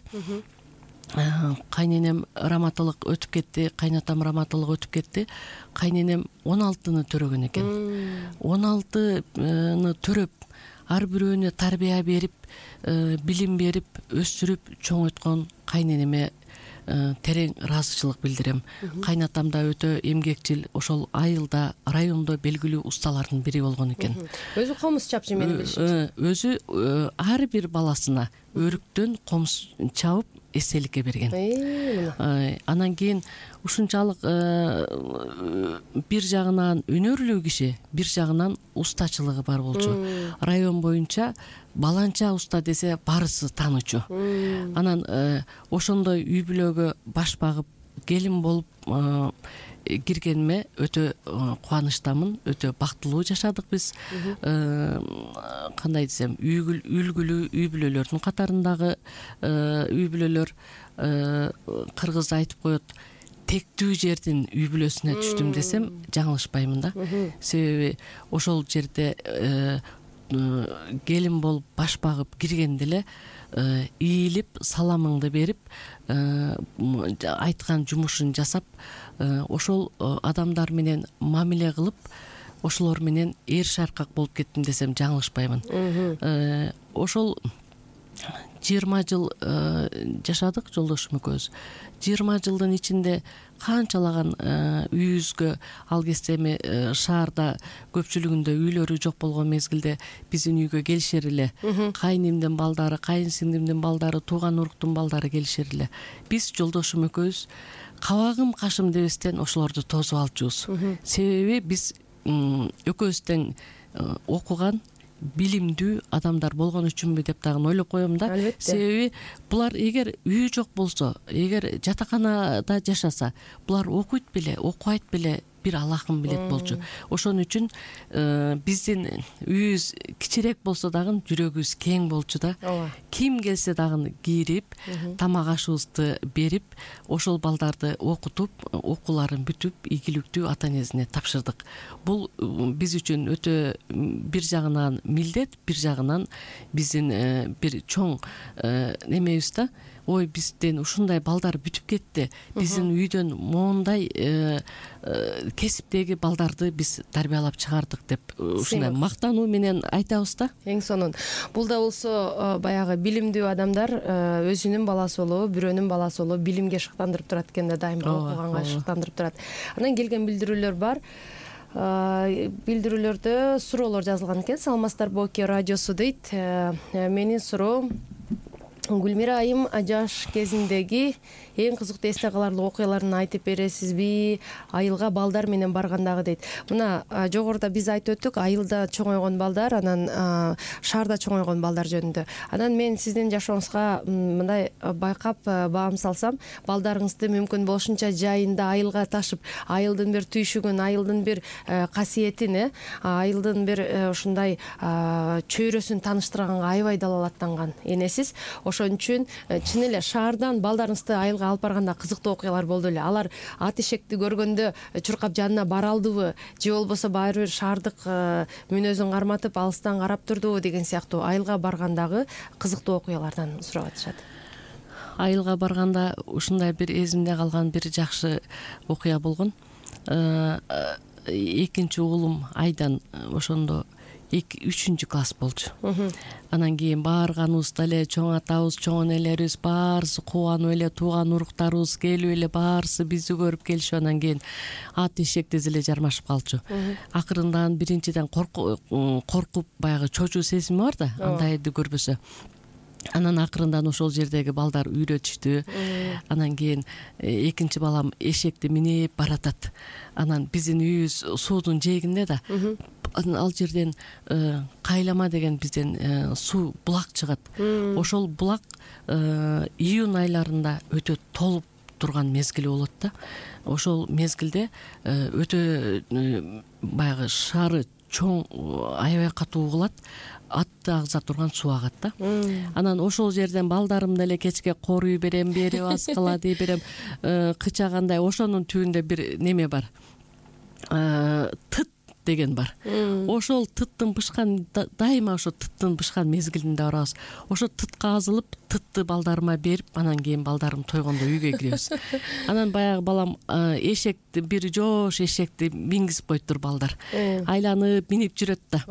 Кайненем раматылык өтүп кетти, кайнатам раматылык өтүп кетти. Кайненем он алтыны төрөгөн экен. он алтыны төрөп, ар бирөөнө тарбия берип, билим берип, өстүрүп чоңойткон кайненеме терең ыраазычылык билдирем. Кайнатам да өтө эмгекчил, ошол айылда, райондо белгилүү усталардын бири болгон экен. Өзү комуз чапчы менин билишимче. Өзү ар бир баласына өрүктөн комуз чабып эстеликке берген. Анан кийин ушунчалык бир жагынан өнөрлүү киши, бир жагынан устачылыгы бар болчу. Район боюнча баланча уста десе баарысы таанычу. Анан ошондой үй бүлөгө баш багып келин болуп киргениме өтө кубанычтамын, өтө бактылуу жашадык биз. Кандай десем, үлгүлүү үй бүлөлөрдүн катарындагы үй бүлөлөр. Кыргыз айтып коет, тектүү жердин үй бүлөсүнө түштүм десем жаңылышпаймын да. Себеби ошол жерде келин болуп баш багып киргенде эле ийилип, саламыңды берип, айткан жумушун жасап, ошол адамдар менен мамиле кылып, ошолор менен эр шаркак болуп кеттим десем жаңылышпаймын. Ошол жыйырма жыл жашадык жолдошум экөөбүз. жыйырма жылдын ичинде канчалаган үйүбүзгө, ал кезде эми шаарда көпчүлүгүндө үйлөрү жок болгон мезгилде биздин үйгө келишер эле. Кайнимдин балдары, кайын сиңдимдин балдары, тууган уруктун балдары келишер эле. Биз жолдошум экөөбүз кабагым кашым дебестен ошолорду тосуп алчубуз. Себеби биз экөөбүз тең окуган, билимдүү адамдар болгон үчүнбү деп дагы ойлоп коем да. Себеби булар эгер үй жок болсо, эгер жатаканада жашаса, булар окуйт беле, окубайт беле, бир Аллахым билет болчу. Ошон үчүн биздин үйүбүз кичирээк болсо дагы жүрөгүбүз кең болчу да. Ким келсе дагы кирип, тамак ашыбызды берип, ошол балдарды окутуп, окууларын бүтүп, ийгиликтүү ата энесине тапшырдык. Бул биз үчүн өтө бир жагынан милдет, бир жагынан биздин бир чоң немебиз да. Ой, бизден ушундай балдар бүтүп кетти. Биздин үйдөн моундай кесиптеги балдарды биз тарбиялап чыгардык деп ушундай мактануу менен айтабыз да. Эң сонун. Бул да болсо баягы билимдүү адамдар өзүнүн баласы болобу, бирөөнүн баласы болобу билимге шыктандырып турат экен да, дайыма окуганга шыктандырып турат. Анан келген билдирүүлөр бар. Билдирүүлөрдө суроолор жазылган экен. Саламатсыздар Боке радиосу дейт. Менин суроом: Гүлмира айым жаш кезиндеги эң кызыктуу эсте каларлык окуяларын айтып бересизби? Айылга балдар менен баргандагы дейт. Мына жогоруда биз айтып өттүк, айылда чоңойгон балдар, анан шаарда чоңойгон балдар жөнүндө. Анан мен сиздин жашооңузга мындай байкап баам салсам, балдарыңызды мүмкүн болушунча жайында айылга ташып, айылдын бир түйшүгүн, айылдын бир касиетин, айылдын бир ушундай чөйрөсүн тааныштырганга аябай далалаттанган энесиз. Ошон үчүн чын эле шаардан балдарыңызды айылга алып барганда кызыктуу окуялар болду эле. Алар ат эшекти көргөндө чуркап жанына бара алдыбы, же болбосо баары бир шаардык мүнөзүн карматып алыстан карап турдубу деген сыяктуу айылга баргандагы кызыктуу окуялардан сурап атышат. Айылга барганда ушундай бир эзимде калган бир жакшы окуя болгон. Экинчи уулум Айдан ошондо үчүнчү класс болчу. Анан кийин баарганыбызда эле чоң атабыз, чоң энелерибиз баарысы кубанып эле, тууган уруктарыбыз келип эле баарысы бизди көрүп келишип, анан кийин ат эшек тез эле жармашып калчу. Акырындан биринчиден коркуп, баягы чочуу сезими бар да, андайды көрбөсө. Анан акырындан ошол жердеги балдар үйрөтүштү. Анан кийин экинчи балам эшекти минип баратат. Анан биздин үйүбүз суудун жээгинде да. Ал жерден Кайлама деген бизден суу булак чыгат. Ошол булак июнь айларында өтө толуп турган мезгили болот да. Ошол мезгилде өтө баягы шары чоң, аябай катуу угулат, атты агза турган суу агат да. Анан ошол жерден балдарым деле кечке коруй берем, бери баскыла дей берем, кычагандай. Ошонун түбүндө бир неме бар. Тыт деген бар. Ошол тыттын бышкан, дайыма ошо тыттын бышкан мезгилинде барабыз. Ошо тытка азылып, тытты балдарыма берип, анан кийин балдарым тойгондо үйгө киребиз. Анан баягы балам эшекти, бир жоош эшекти мингизип коюптур балдар. Айланып минип жүрөт да.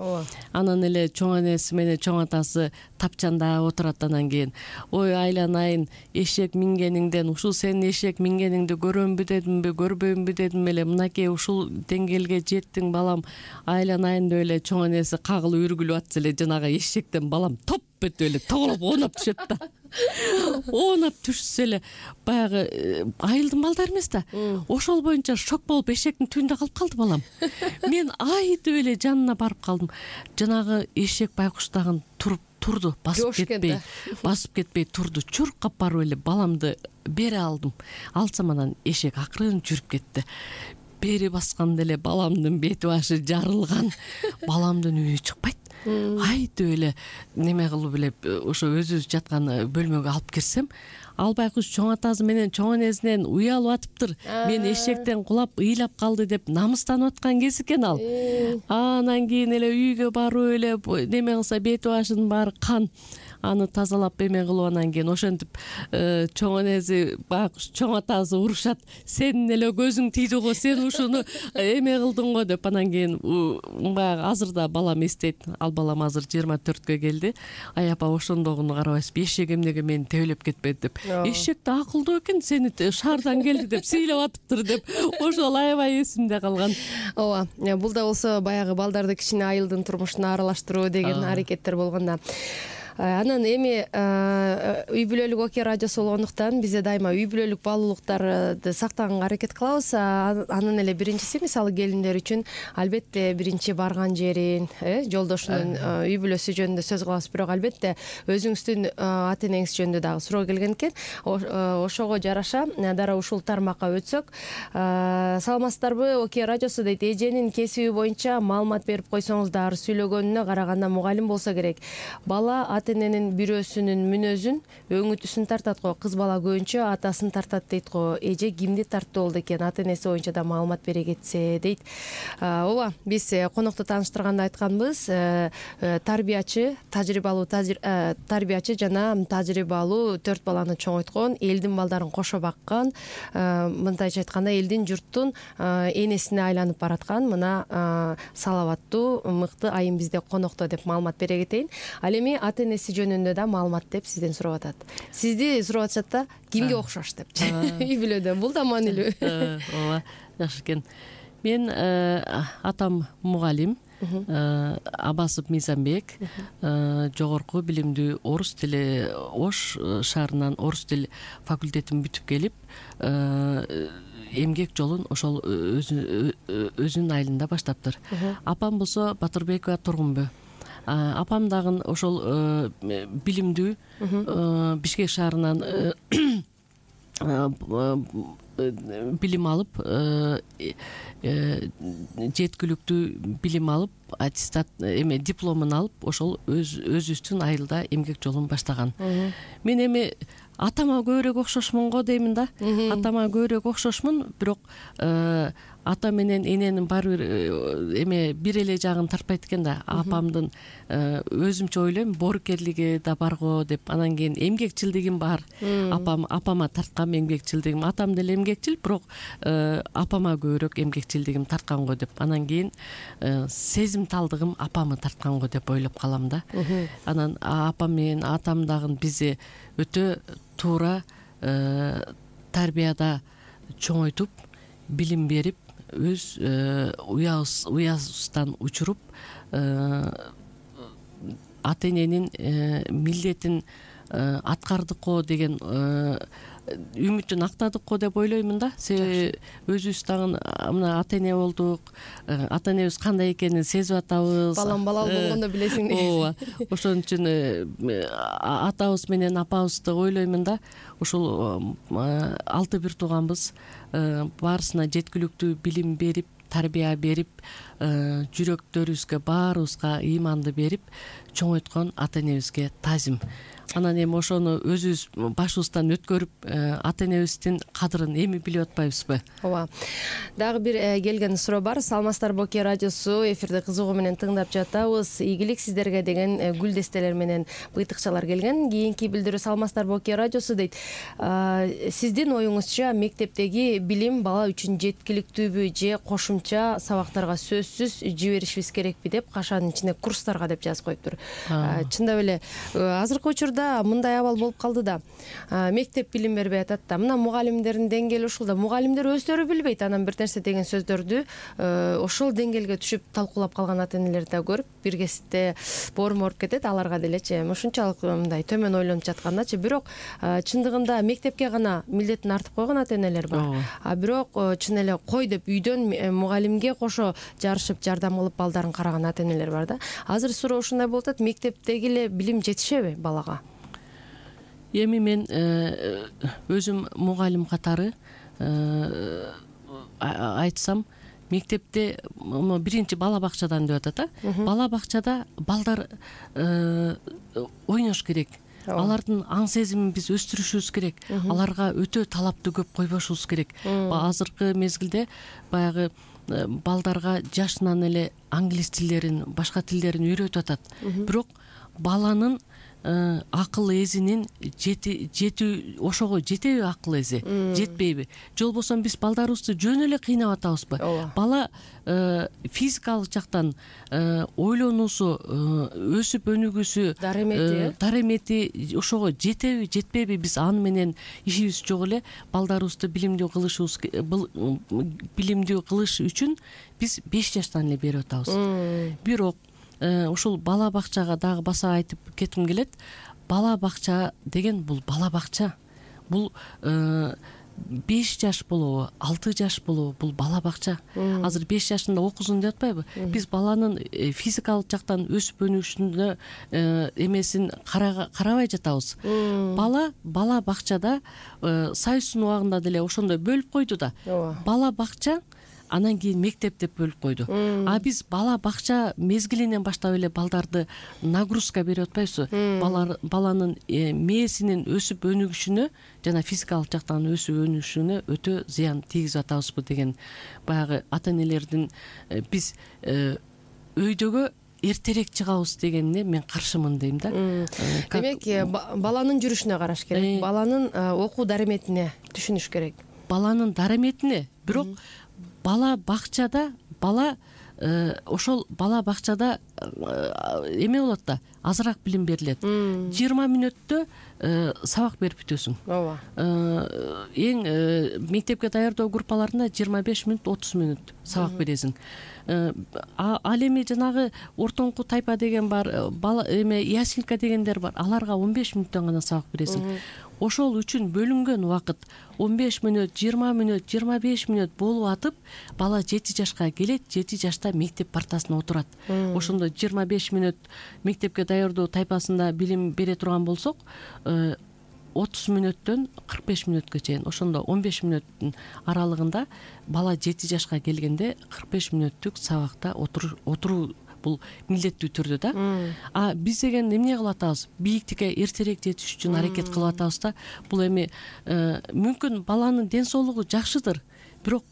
Анан эле чоң энеси менен чоң атасы тапчанда отурат. Анан кийин: ой айланайын, эшек мингениңден, ушул сенин эшек мингениңди көрөмбү дедимби, көрбөймбү дедим эле, мынакей ушул деңгээлге жеттиң балам, айланайын деп эле чоң энеси кагылып үргүлүп атса эле жанагы эшектен балам топ этип эле тоголоп оонап түшөт да. оонап түшсө эле баягы айылдын балдары эмес да, ошол боюнча шок болуп эшектин түбүндө калып калды балам. Мен айдып эле жанына барып калдым. Жанагы эшек байкуш дагы туруп турду, басып кетпей, басып кетпей турду. Чуркап барып эле баламды бере алдым. Алсам анан эшек акырын жүрүп кетти. Бери басканда эле баламдын бети башы жарылган. Баламдын үйү чыкпайт. Айдып эле неме кылып эле ошо өзүбүз жаткан бөлмөгө алып кирсем, ал байкуш чоң атасы менен чоң энесинен уялып атыптыр. Мен эшектен кулап ыйлап калды деп намыстанып аткан кез экен ал. Анан кийин эле үйгө барып эле неме кылса бети башынын баары кан. Аны тазалап эме кылып анан кийин ошентип чоң энеси байкуш чоң атасы урушат. Сенин эле көзүң тийди го, сен ушуну эме кылдың го деп. Анан кийин баягы азырда балам эстейт. Ал балам азыр жыйырма төрткө келди. Ай апа ошондогуну карабайсызбы, эшек эмнеге мени тебелеп кетпеди деп. Эшек да акылдуу экен, сени шаардан келди деп сыйлап атыптыр деп. Ошол аябай эсимде калган. Ооба, бул да болсо баягы балдарды кичине айылдын турмушуна аралаштыруу деген аракеттер болгон да. Анан эми үй бүлөлүк Окей радиосу болгондуктан бизде дайыма үй бүлөлүк баалуулуктарды сактаганга аракет кылабыз. Анын эле биринчиси мисалы келиндер үчүн албетте биринчи барган жерин, жолдошунун үй бүлөсү жөнүндө сөз кылабыз, бирок албетте өзүңүздүн ата энеңиз жөнүндө дагы суроо келген экен. Ошого жараша дароо ушул тармакка өтсөк, саламатсыздарбы, Окей радиосу дейт, эженин кесиби боюнча маалымат берип койсоңуздар, сүйлөгөнүнө караганда мугалим болсо керек. Бала ата эненин бирөөсүнүн мүнөзүн, өңүтүсүн тартат го, кыз бала көбүнчө атасын тартат дейт го. Эже кимди тартты болду экен, ата энеси боюнча да маалымат бере кетсе дейт. Ооба, биз конокту тааныштырганда айтканбыз, тарбиячы, тажрыйбалуу тарбиячы жана тажрыйбалуу төрт баланы чоңойткон, элдин балдарын кошо баккан, мындайча айтканда элдин журттун энесине айланып бараткан мына салаваттуу, мыкты айым бизде конокто деп маалымат бере кетейин. Ал эми ата энеси жөнүндө да маалымат деп сизден сурап атат. Сизди сурап атышат да, кимге окшош деп. Үй бүлөдө бул да маанилүү. Ооба, жакшы экен. Мен атам мугалим, Абасов Мизамбек, жогорку билимдүү орус тили, Ош шаарынан орус тил факультетин бүтүп келип, эмгек жолун ошол өзүнүн айылында баштаптыр. Апам болсо Батырбекова Тургунбө. Апам дагы ошол билимдүү Бишкек шаарынан билим алып, жеткиликтүү билим алып, аттестат эме дипломун алып, ошол өзүбүздүн айылда эмгек жолун баштаган. Мен эми атама көбүрөөк окшошмун го деймин да. Атама көбүрөөк окшошмун, бирок ата менен эненин баары бир эме бир эле жагын тартпайт экен да. Апамдын өзүмчө ойлойм, боорукерлиги да бар го деп. Анан кийин эмгекчилдигим бар. Апам апама тарткан эмгекчилдигим. Атам деле эмгекчил, бирок апама көбүрөөк эмгекчилдигим тарткан го деп. Анан кийин сезимталдыгым апамы тарткан го деп ойлоп калам да. Анан апам менен атам дагы бизди өтө туура тарбияда чоңойтуп, билим берип, өз уябыздан учуруп, ата эненин милдетин аткардык го деген үмүтүн актадык го деп ойлоймун да. Себеби өзүбүз дагы мына ата эне болдук, ата энебиз кандай экенин сезип атабыз. Балам балалуу болгондо билесиң дейт. Ооба, ошон үчүн атабыз менен апабызды ойлоймун да. Ушул алты бир тууганбыз, баарысына жеткиликтүү билим берип, тарбия берип, жүрөктөрүбүзгө баарыбызга ыйманды берип чоңойткон ата энебизге таазим. Анан эми ошону өзүбүз башыбыздан өткөрүп, ата энебиздин кадырын эми билип атпайбызбы? Ооба. Дагы бир келген суроо бар. Саламатсыздарбы, Окей радиосу эфирде кызыгуу менен тыңдап жатабыз. Ийгилик сиздерге деген гүл дестелер менен быйтыкчалар келген. Кийинки билдирүү: саламатсыздарбы, Окей радиосу дейт. Сиздин оюңузча мектептеги билим бала үчүн жеткиликтүүбү же кошумча сабактарга сөзсүз жиберишибиз керекпи деп, кашанын ичинде курстарга деп жазып коюптур. Чындап эле азыркы учурда учурда мындай абал болуп калды да, мектеп билим бербей атат да, мына мугалимдердин деңгээли ушул да, мугалимдер өздөрү билбейт анан бир нерсе деген сөздөрдү ошол деңгээлге түшүп талкуулап калган ата энелерди да көрүп, бир кезипте боорум ооруп кетет аларга делечи, ушунчалык мындай төмөн ойлонуп жаткандачы. Бирок чындыгында мектепке гана милдетин артып койгон ата энелер бар, а бирок чын эле кой деп үйдөн мугалимге кошо жарышып жардам кылып балдарын караган ата энелер бар да. Азыр суроо ушундай болуп атат, мектептеги эле билим жетишеби балага? Эми мен өзүм мугалим катары айтсам, мектепте биринчи бала бакчадан деп атат, бала бакчада балдар ойнош керек. Алардын аң сезимин биз өстүрүшүбүз керек. Аларга өтө талапты көп койбошубуз керек. Азыркы мезгилде баягы балдарга жашынан эле англис тилдерин, башка тилдерин үйрөтүп атат. Бирок баланын акыл эзинин жетүү, ошого жетеби акыл эзи, жетпейби? Же болбосо биз балдарыбызды жөн эле кыйнап атабызбы? Бала физикалык жактан ойлонуусу, өсүп өнүгүүсү, даремети ошого жетеби, жетпейби? Биз аны менен ишибиз жок эле. Балдарыбызды билимдүү кылышыбыз, билимдүү кылыш үчүн биз беш жаштан эле берип атабыз. Бирок ушул бала бакчага дагы баса айтып кетким келет. Бала бакча деген бул бала бакча. Бул беш жаш болобу, алты жаш болобу, бул бала бакча. Азыр беш жашында окузун деп атпайбы? Биз баланын физикалык жактан өсүп өнүгүшүнө эмесин карабай жатабыз. Бала бала бакчада Союздун убагында деле ошондой бөлүп койду да. Бала бакча, анан кийин мектеп деп бөлүп койду. А биз бала бакча мезгилинен баштап эле балдарды нагрузка берип атпайбызбы? Баланын мээсинин өсүп өнүгүшүнө жана физикалык жактан өсүп өнүгүшүнө өтө зыян тийгизип атабызбы деген баягы ата энелердин биз өйдөгө эртерээк чыгабыз дегенине мен каршымын дейм да. Демек, баланын жүрүшүнө караш керек, баланын окуу дареметине түшүнүш керек. Баланын дареметине, бирок бала бакчада бала ошол бала бакчада эме болот да, азыраак билим берилет. жыйырма мүнөттө сабак берип бүтөсүң. Ооба. Эң мектепке даярдоо группаларында жыйырма беш мүнөт, отуз мүнөт сабак бересиң. Ал эми жанагы ортоңку тайпа деген бар, бала эме яселька дегендер бар. Аларга он беш мүнөттөн гана сабак бересиң. Ошол үчүн бөлүнгөн убакыт он беш мүнөт, жыйырма мүнөт, жыйырма беш мүнөт болуп атып, бала жети жашка келет, жети жашта мектеп партасына отурат. Ошондо жыйырма беш мүнөт мектепке даярдоо тайпасында билим бере турган болсок, отуз мүнөттөн кырк беш мүнөткө чейин, ошондо он беш мүнөттүн аралыгында бала жети жашка келгенде кырк беш мүнөттүк сабакта отуруу бул милдеттүү түрдө да. А биз деген эмне кылып атабыз? Бийиктикке эртерээк жетиш үчүн аракет кылып атабыз да. Бул эми мүмкүн баланын ден соолугу жакшыдыр, бирок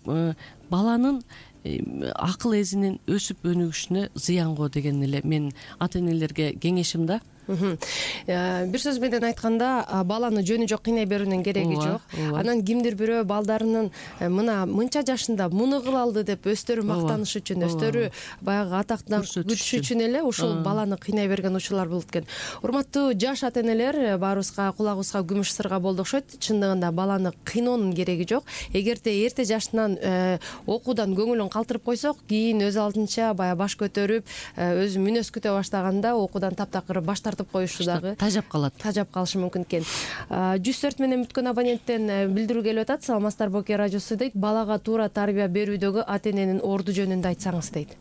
баланын акыл эзинин өсүп өнүгүшүнө зыян го деген эле мен ата энелерге кеңешим да. Бир сөз менен айтканда, баланы жөнү жок кыйнай берүүнүн кереги жок. Анан кимдир бирөө балдарынын мына мынча жашында муну кыла алды деп өздөрү мактаныш үчүн, өздөрү баягы атактан күтүш үчүн эле ушул баланы кыйнай берген учурлар болот экен. Урматтуу жаш ата энелер, баарыбызга кулагыбызга күмүш сырга болду окшойт. Чындыгында баланы кыйноонун кереги жок. Эгерде эрте жашынан окуудан көңүлүн калтырып койсок, кийин өз алдынча баягы баш көтөрүп, өзү мүнөз күтө баштаганда окуудан таптакыр баш тартып коюшу дагы тажап калат. Тажап калышы мүмкүн экен. жүз төрт менен бүткөн абоненттен билдирүү келип атат. Саламатсыздар, Боке радиосу дейт. Балага туура тарбия берүүдөгү ата эненин орду жөнүндө айтсаңыз дейт.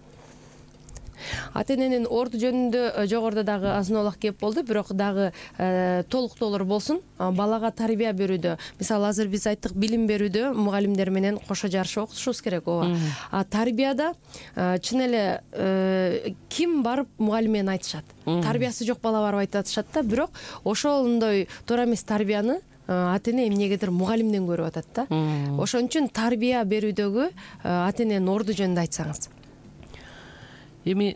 Ата эненин орду жөнүндө жогоруда дагы азын-олак кеп болду, бирок дагы толуктоолор болсун. Балага тарбия берүүдө, мисалы азыр биз айттык, билим берүүдө мугалимдер менен кошо жарышып окутушубуз керек, ооба. А тарбияда чын эле ким барып мугалим менен айтышат? Тарбиясы жок бала барып айтып атышат да, бирок ошондой туура эмес тарбияны ата эне эмнегедир мугалимден көрүп атат да. Ошон үчүн тарбия берүүдөгү ата эненин орду жөнүндө айтсаңыз. Эми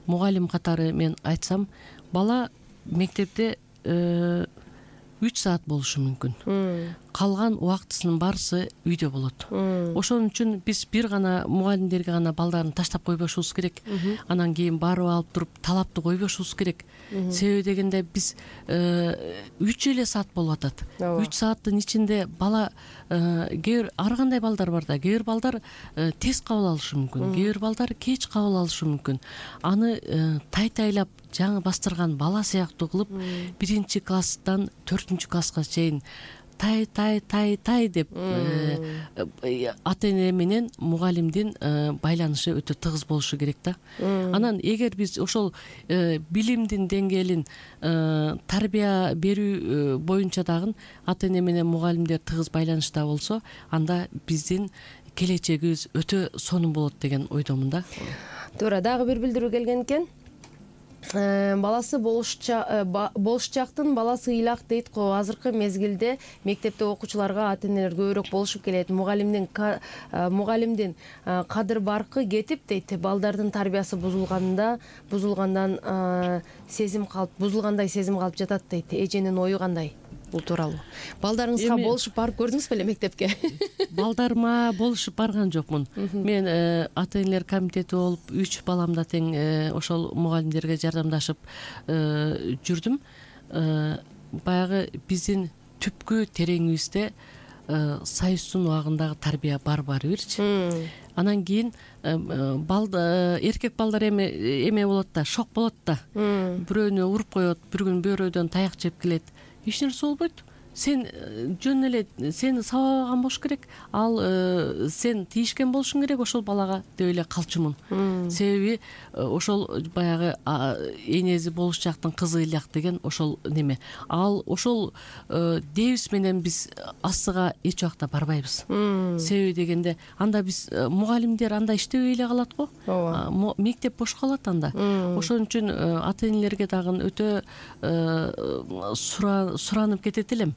мугалим катары мен айтсам, бала мектепте үч саат болушу мүмкүн. калган убактысынын баарысы үйдө болот. Ошон үчүн биз бир гана мугалимдерге гана балдарын таштап койбошубуз керек. Анан кийин барып алып туруп талапты койбошубуз керек. Себеби дегенде биз үч эле саат болуп атат. үч сааттын ичинде бала кээ бир ар кандай балдар бар да. Кээ бир балдар тез кабыл алышы мүмкүн, кээ бир балдар кеч кабыл алышы мүмкүн. Аны тай-тайлап жаңы бастырган бала сыяктуу кылып биринчи класстан төртүнчү класска чейин тай тай тай тай деп ата эне менен мугалимдин байланышы өтө тыгыз болушу керек да. Анан эгер биз ошол билимдин деңгээлин тарбия берүү боюнча дагы ата эне менен мугалимдер тыгыз байланышта болсо, анда биздин келечегибиз өтө сонун болот деген ойдомун да. Туура, дагы бир билдирүү келген экен. Баласы болушчактын баласы ыйлак дейт го. Азыркы мезгилде мектепте окуучуларга ата энелер көбүрөөк болушуп келет. Мугалимдин мугалимдин кадыр баркы кетип дейт. Балдардын тарбиясы бузулганда, бузулгандан сезим калып, бузулгандай сезим калып жатат дейт. Эженин ою кандай бул тууралуу? Балдарыңызга болушуп барып көрдүңүз беле мектепке? Балдарыма болушуп барган жокмун. Мен ата энелер комитети болуп үч баламда тең ошол мугалимдерге жардамдашып жүрдүм. Баягы биздин түпкү тереңибизде союздун убагындагы тарбия бар баары бирчи. Анан кийин эркек балдар эме эме болот да, шок болот да. Бирөөнү уруп коет, бир күн бөөрөдөн таяк жеп келет. Эч нерсе болбойт. Сен жөн эле сени сабаган болуш керек, ал сен тийишкен болушуң керек ошол балага деп эле калчумун. Себеби ошол баягы энеси болушчактын кызы ыйлак деген ошол неме. Ал ошол дебиз менен биз астыга эч убакта барбайбыз. Себеби дегенде анда биз мугалимдер анда иштебей эле калат го. Мектеп бош калат анда. Ошон үчүн ата энелерге дагы өтө суранып кетет элем.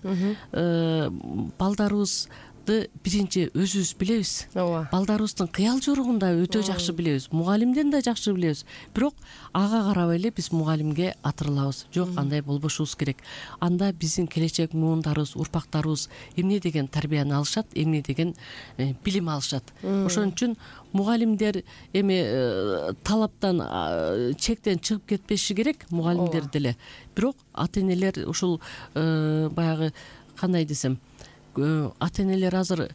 Балдарыбызды биринчи өзүбүз билебиз. Балдарыбыздын кыял жоругун да өтө жакшы билебиз. Мугалимден да жакшы билебиз. Бирок ага карабай эле биз мугалимге атырылабыз. Жок, андай болбошубуз керек. Анда биздин келечек муундарыбыз, урпактарыбыз эмне деген тарбияны алышат, эмне деген билим алышат. Ошон үчүн мугалимдер эми талаптан, чектен чыгып кетпеши керек, мугалимдер деле. Бирок ата энелер ушул баягы кандай десем, ата энелер азыр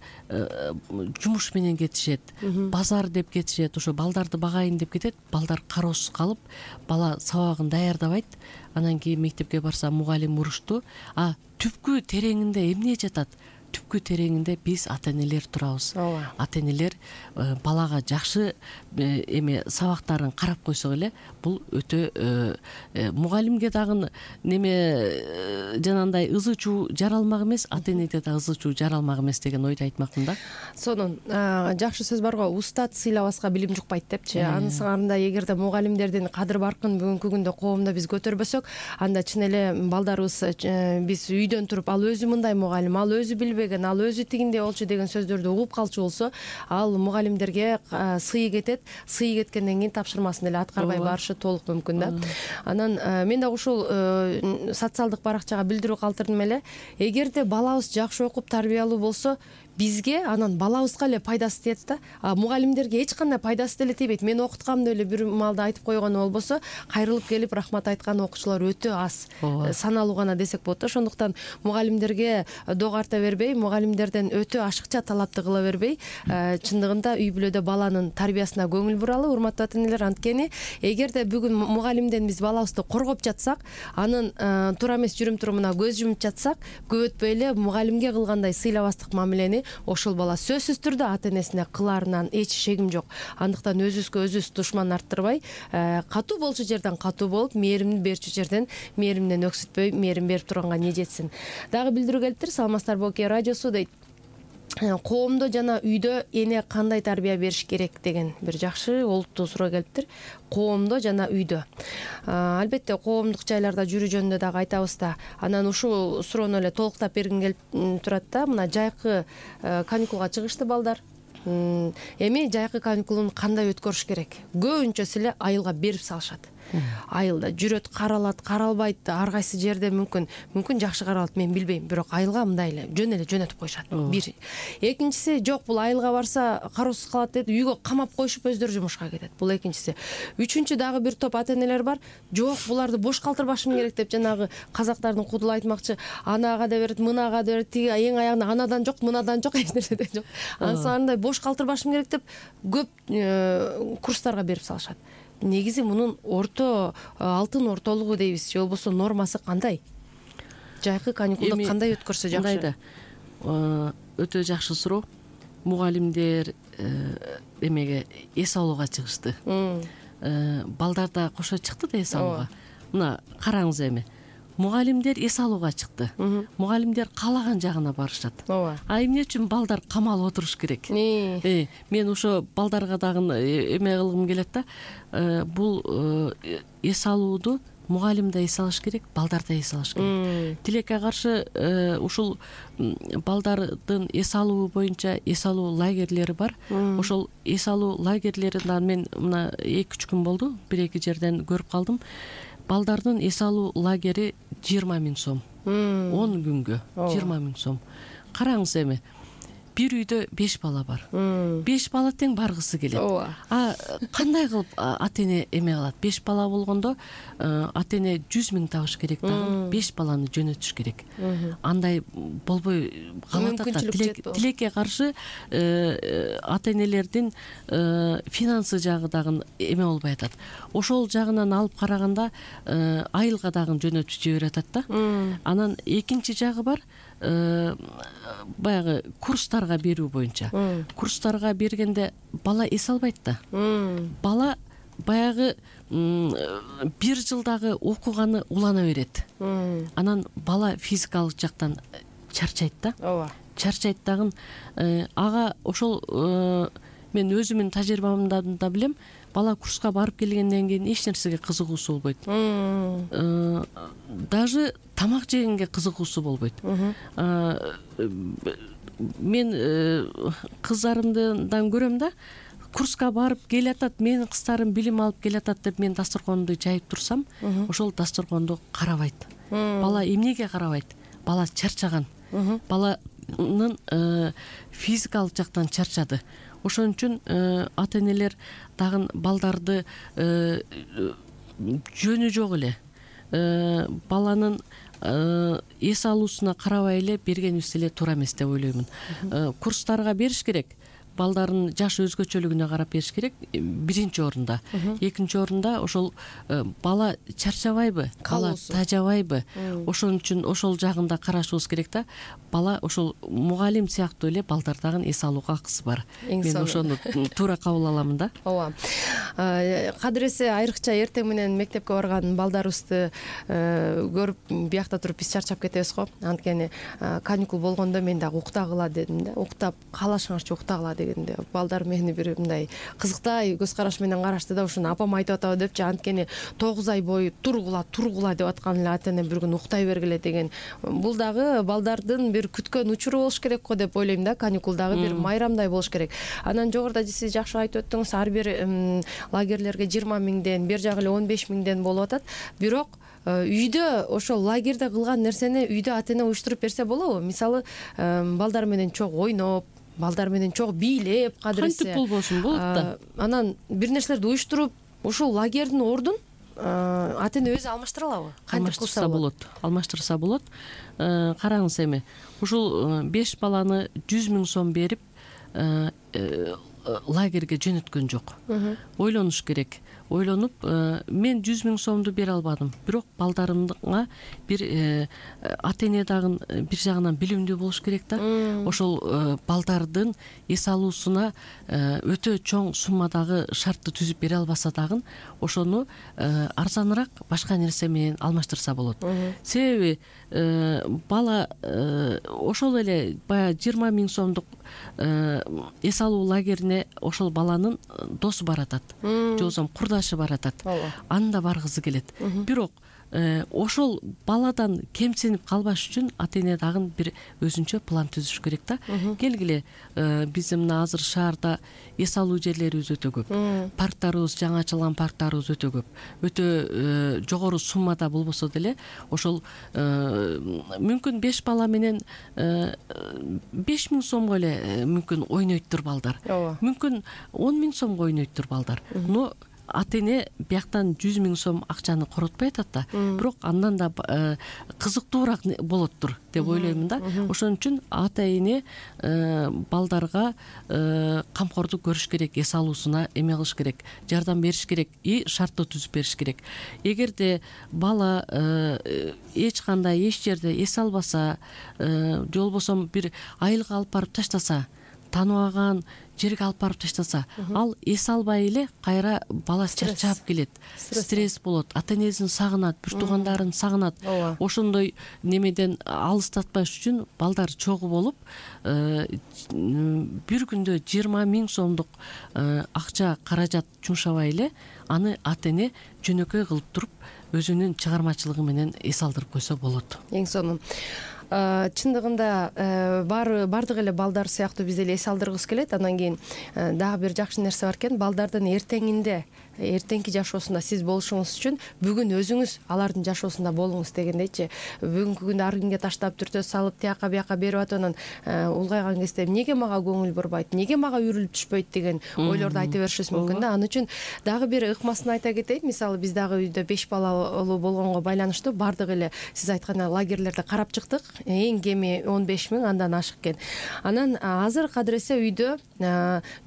жумуш менен кетишет, базар деп кетишет, ошо балдарды багайын деп кетет. Балдар кароосуз калып, бала сабагын даярдабайт. Анан кийин мектепке барса мугалим уруштуу. А түпкү тереңинде эмне жатат? Түпкү тереңинде биз ата энелер турабыз. Ата энелер балага жакшы эме сабактарын карап койсок эле, бул өтө мугалимге дагы неме жанагындай ызы чуу жаралмак эмес, ата энеде да ызы чуу жаралмак эмес деген ойду айтмакмын да. Сонун жакшы сөз бар го, устат сыйлабаска билим жукпайт депчи. Анысында эгерде мугалимдердин кадыр баркын бүгүнкү күндө коомдо биз көтөрбөсөк, анда чын эле балдарыбыз биз үйдөн туруп ал өзү мындай мугалим, ал өзү билбеген, ал өзү тигиндей болчу деген сөздөрдү угуп калчу болсо, ал мугалимдерге сый кетет. Сый кеткенден кийин тапшырмасын эле аткарбай барышы толук мүмкүн да. Анан мен дагы ушул социалдык баракчага билдирүү калтырдым эле. Эгерде балабыз жакшы окуп тарбиялуу болсо, бизге анан балабызга эле пайдасы тиет да. А мугалимдерге эч кандай пайдасы деле тийбейт. Мен окуткам деп эле бир маалда айтып койгону болбосо, кайрылып келип рахмат айткан окуучулар өтө аз, саналуу гана десек болот да. Ошондуктан мугалимдерге доо карта бербей, мугалимдерден өтө ашыкча талапты кыла бербей, чындыгында үй бүлөдө баланын тарбиясына көңүл буралы, урматтуу ата энелер. Анткени эгерде бүгүн мугалимден биз балабызды коргоп жатсак, анын туура эмес жүрүм турумуна көз жумуп жатсак, көп өтпөй эле мугалимге кылгандай сыйлабастык мамилени ошол бала сөзсүз түрдө ата энесине кылаарынан эч шегим жок. Андыктан өзүбүзгө өзүбүз душман арттырбай, катуу болчу жерден катуу болуп, мээрим берчү жерден мээримден өксүтпөй, мээрим берип турганга не жетсин. Дагы билдирүү келиптир, саламатсыздарбы Оке радиосу дейт. Коомдо жана үйдө эне кандай тарбия бериш керек деген бир жакшы олуттуу суроо келиптир. Коомдо жана үйдө. Албетте коомдук жайларда жүрүү жөнүндө дагы айтабыз да. Анан ушул суроону эле толуктап бергим келип турат да. Мына жайкы каникулга чыгышты балдар. Эми жайкы каникулун кандай өткөрүш керек? Көбүнчөсү эле айылга берип салышат. айылда жүрөт, каралат, каралбайт, ар кайсы жерде мүмкүн мүмкүн жакшы каралат, мен билбейм, бирок айылга мындай эле жөн эле жөнөтүп коюшат. Бир. Экинчиси, жок бул айылга барса кароосуз калат деп үйгө камап коюшуп өздөрү жумушка кетет. Бул экинчиси. Үчүнчү дагы бир топ ата-энелер бар. Жок, буларды бош калтырбашым керек деп, жанагы казактардын кудул айтмакчы, анага да берет, мынага да берет, тиги эң аягында анадан жок, мынадан жок, эч нерседен жок. Ансандай бош калтырбашым керек деп көп курстарга берип салышат. Негизи мунун орто алтын ортолугу дейбиз, же болбосо нормасы кандай? Жайкы каникулду кандай өткөрсө жакшы? Мындайда өтө жакшы суроо. Мугалимдер эмеге эс алууга чыгышты. Балдар да кошо чыкты да эс алууга. Мына караңыз эми. Мугалимдер эс алууга чыкты. Мугалимдер каалаган жагына барышат. Ооба. А эмне үчүн балдар камалып отуруш керек? Э, мен ошо балдарга дагы эме кылгым келет да. Бул эс алууду мугалим да эс алыш керек, балдар да эс алыш керек. Тилекке каршы ушул балдардын эс алуу боюнча эс алуу лагерлери бар. Ошол эс алуу лагерлеринен мен мына эки үч күн болду, бир эки жерден көрүп калдым. Балдардын эс алуу лагери жыйырма миң сом. он күнгө жыйырма миң сом. Караңыз эми. Бир үйдө беш бала бар. беш бала тең баргысы келет. А кандай кылып ата-эне эме кылат? беш бала болгондо ата-эне жүз миң табыш керек дагы, беш баланы жөнөтүш керек. Андай болбой калат да. Тилекке каршы ата-энелердин финансы жагы дагы эме болбой атат. Ошол жагынан алып караганда айылга дагы жөнөтүп жиберип атат да. Анан экинчи жагы бар. Баягы курстарга берүү боюнча. Курстарга бергенде бала эс албайт да. Бала баягы бир жылдагы окуганы улана берет. Анан бала физикалык жактан чарчайт да. Ооба. Чарчайт дагы. Ага ошол мен өзүмдүн тажрыйбамдан да билем. Бала курска барып келгенден кийин эч нерсеге кызыгуусу болбойт. Даже тамак жегенге кызыгуусу болбойт. Мен кыздарымдан көрөм да, курска барып келатат, менин кыздарым билим алып келатат деп мен дасторконду жайып турсам, ошол дасторконду карабайт. Бала эмнеге карабайт? Бала чарчаган. Баланын физикалык жактан чарчады. Ошон үчүн ата-энелер дагы балдарды жөнү жок эле баланын эс алуусуна карабай эле бергенибиз эле туура эмес деп ойлоймун. Курстарга бериш керек. Балдардын жаш өзгөчөлүгүнө карап бериш керек. Биринчи орунда. Экинчи орунда ошол бала чарчабайбы, бала тажабайбы? Ошон үчүн ошол жагында карашыбыз керек да. Бала ошол мугалим сыяктуу эле балдардагы эс алууга акысы бар. Мен ошону туура кабыл аламын да. Ооба. Кадыресе айрыкча эртең менен мектепке барган балдарыбызды көрүп биякта туруп биз чарчап кетебиз го. Анткени каникул болгондо мен дагы уктагыла дедим да. Уктап каалашыңарчы уктагыла дегенде балдар мени бир мындай кызыктай көз караш менен карашты да, ушуну апам айтып атабы депчи. Анткени тогуз ай бою тургула тургула деп аткан эле ата-эне бир күн уктай бергиле деген. Бул дагы балдардын бир күткөн учуру болуш керек го деп ойлойм да. Каникулдагы бир майрамдай болуш керек. Анан жогоруда сиз жакшы айтып өттүңүз, ар бир лагерлерге жыйырма миңден, бер жагы эле он беш миңден болуп атат. Бирок үйдө ошол лагерде кылган нерсени үйдө ата-эне уюштуруп берсе болобу? Мисалы, балдар менен чогуу ойноп, балдар менен чогуу бийлеп, кадыресе. Кантип болбосун болот да. Анан бир нерселерди уюштуруп, ушул лагердин ордун ата-эне өзү алмаштыра алабы? Кантип кылса болот? Алмаштырса болот. Караңыз эми, ушул беш баланы жүз миң сом берип лагерге жөнөткөн жок. Ойлонуш керек. Ойлонуп, мен жүз миң сомду бере албадым. Бирок балдарымга бир ата-эне дагы бир жагынан билимдүү болуш керек да. Ошол балдардын эс алуусуна өтө чоң суммадагы шартты түзүп бере албаса дагы ошону арзаныраак башка нерсе менен алмаштырса болот. Себеби бала ошол эле баягы жыйырма миң сомдук эс алуу лагерине ошол баланын досу баратат. Же болбосо курдаш жашы баратат, ооба, аны да баргысы келет. Бирок ошол баладан кемсинип калбаш үчүн ата эне дагы бир өзүнчө план түзүш керек да. Келгиле, биздин мына азыр шаарда эс алуу жерлерибиз өтө көп, парктарыбыз, жаңы ачылган парктарыбыз өтө көп, өтө жогору суммада болбосо деле ошол мүмкүн беш бала менен беш миң сомго эле мүмкүн ойнойттур балдар, мүмкүн он миң сомго ойнойттур балдар. Но ата эне бияктан жүз миң сом акчаны коротпой атат да, бирок андан да кызыктуураак болоттур деп ойлоймун да. Ошон үчүн ата эне балдарга камкордук көрүш керек, эс алуусуна эме кылыш керек, жардам бериш керек и шарттоо түзүп бериш керек. Эгерде бала эч кандай эч жерде эс албаса, же болбосо бир айылга алып барып таштаса, тааныбаган жерге алып барып таштаса, ал эс албай эле кайра бала чарчап келет, стресс болот, ата энесин сагынат, бир туугандарын сагынат. Ошондой немеден алыстатпаш үчүн балдар чогуу болуп, бир күндө жыйырма миң сомдук акча каражат жумшабай эле аны ата эне жөнөкөй кылып туруп өзүнүн чыгармачылыгы менен эс алдырып койсо болот. Эң сонун. Чындыгында баардык эле балдар сыяктуу биз эле эс алдыргыбыз келет. Анан кийин дагы бир жакшы нерсе бар экен, балдардын эртеңинде, эртеңки жашоосунда сиз болушуңуз үчүн бүгүн өзүңүз алардын жашоосунда болуңуз дегендейчи. Бүгүнкү күндө ар кимге таштап түртө салып, тияка бияка берип атып, анан улгайган кезде эмнеге мага көңүл бурбайт, эмнеге мага үрүлүп түшпөйт деген ойлорду айта беришибиз мүмкүн да. Ал үчүн дагы бир ыкмасын айта кетейин. Мисалы биз дагы үйдө беш балалуу болгонго байланыштуу баардык эле сиз айткандай лагерлерде карап чыктык. Эң кеми он беш миң андан ашык экен. Анан азыр кадыресе үйдө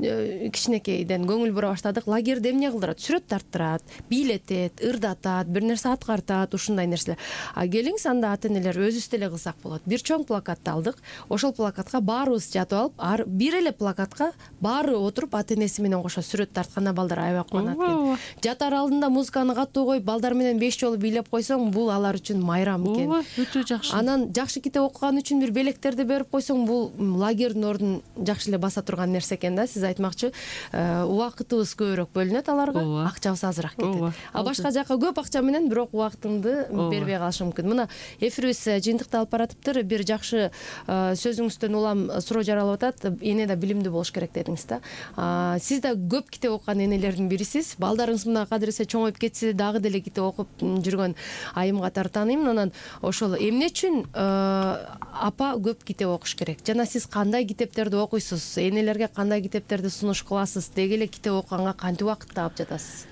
кичинекейден көңүл бура баштадык. Лагерде эмне кылдырат? Сүрөт тарттырат, бийлетет, ырдатат, бир нерсе аткартат, ушундай нерселер. А келиңиз, анда ата энелер өзүбүз деле кылсак болот. Бир чоң плакатты алдык. Ошол плакатка баарыбыз жатып алып, бир эле плакатка баары отуруп ата энеси менен кошо сүрөт тартканда балдар аябай кубанат экен. Жатар алдында музыканы катуу коюп, балдар менен беш жолу бийлеп койсоң, бул алар үчүн майрам экен. Ооба, өтө жакшы. Анан жакшы китеп окуган үчүн бир белектерди берип койсоң, бул лагердин ордун жакшы эле баса турган нерсе экен да. Сиз айтмакчы, убакытыбыз көбүрөөк бөлүнөт аларга, акчабыз азыраак кетет. А башка жака көп акча менен бирок убактыңды бербей калышы мүмкүн. Мына эфирибиз жыйынтыкталып баратыптыр. Бир жакшы сөзүңүздөн улам суроо жаралып атат. Эне да билимдүү болуш керек дедиңиз да. Сиз да көп китеп окуган энелердин бирисиз. Балдарыңыз мына кадыресе чоңоюп кетсе дагы деле китеп окуп жүргөн айым катары тааныймын. Анан ошол эмне үчүн апа көп китеп окуш керек? Жана сиз кандай китептерди окуйсуз? Энелерге кандай китептерди сунуш кыласыз? Деги эле китеп окуганга кантип убакыт таап жатасыз?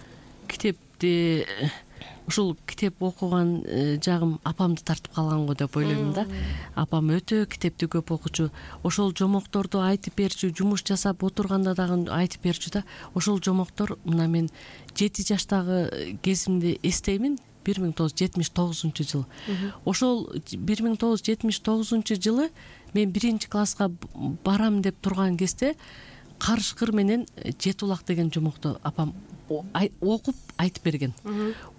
Китепти ушул китеп окуган жагым апамды тартып калган го деп ойлоймун да. Апам өтө китепти көп окучу. Ошол жомокторду айтып берчү, жумуш жасап отурганда дагы айтып берчү да. Ошол жомоктор мына мен жети жаштагы кезимди эстеймин. бир миң тогуз жүз жетимиш тогузунчу жыл. Ошол бир миң тогуз жүз жетимиш тогузунчу жылы мен биринчи класска барам деп турган кезде Карышкыр менен Жети улак деген жомокту апам окуп айтып берген.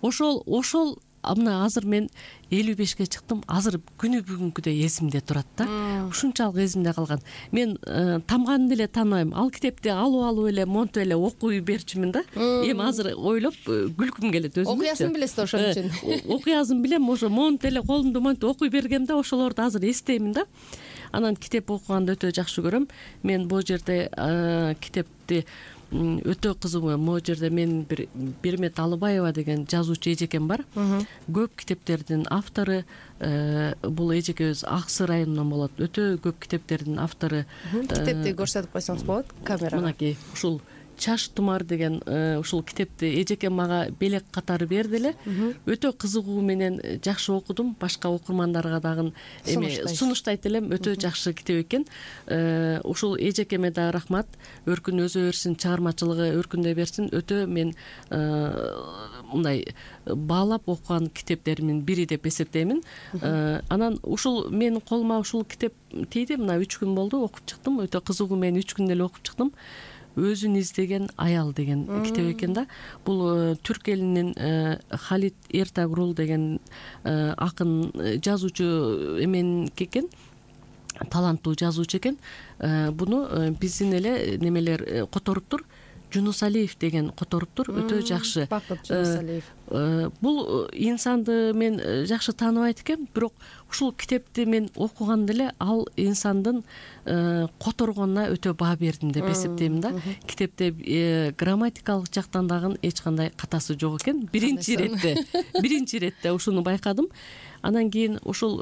Ошол ошол мына азыр мен элүү бешке чыктым. Азыр күнү бүгүнкүдөй эсимде турат да. Ушунчалык эсимде калган. Мен тамганын деле тааныбайм. Ал китепти алып алып эле монтуп эле окуй берчүмүн да. Эми азыр ойлоп күлкүм келет өзүмө. Окуясын билесиз да ошон үчүн. Окуясын билем, ошо монтуп эле колумду монтуп окуй бергем да, ошолорду азыр эстеймин да. Анан китеп окуганды өтө жакшы көрөм. Мен бул жерде китепти өтө кызыгуу. Могу жерде мен бир Бермет Алыбаева деген жазуучу эжекем бар. Көп китептердин автору. Бул эжекебиз Аксы районунан болот. Өтө көп китептердин автору. Китепти көрсөтүп койсоңуз болот камерага. Мынакей ушул Чаш тумар деген ушул китепти эжекем мага белек катары берди эле. Өтө кызыгуу менен жакшы окудум. Башка окурмандарга дагы эме сунуштайт элем. Өтө жакшы китеп экен. Ушул эжекеме да рахмат. Өркүн өзө берсин, чыгармачылыгы өркүндөй берсин. Өтө мен мындай баалап окуган китептеримдин бири деп эсептеймин. Анан ушул менин колума ушул китеп тийди. Мына үч күн болду, окуп чыктым. Өтө кызыгуу, мен үч күндө эле окуп чыктым. Өзүн издеген аял деген китеп экен да. Бул түрк элинин Халид Эртагрул деген акын жазуучу эменики экен. Таланттуу жазуучу экен. Буну биздин эле немелер которуптур. Жунусалиев деген которуптур, өтө жакшы. Бакыт Жунусалиев. Бул инсанды мен жакшы тааныбайт экем, бирок ушул китепти мен окуганда эле ал инсандын которгонуна өтө баа бердим деп эсептейм да. Китепте грамматикалык жактан дагы эч кандай катасы жок экен. Биринчи иретте, биринчи иретте ушуну байкадым. Анан кийин ушул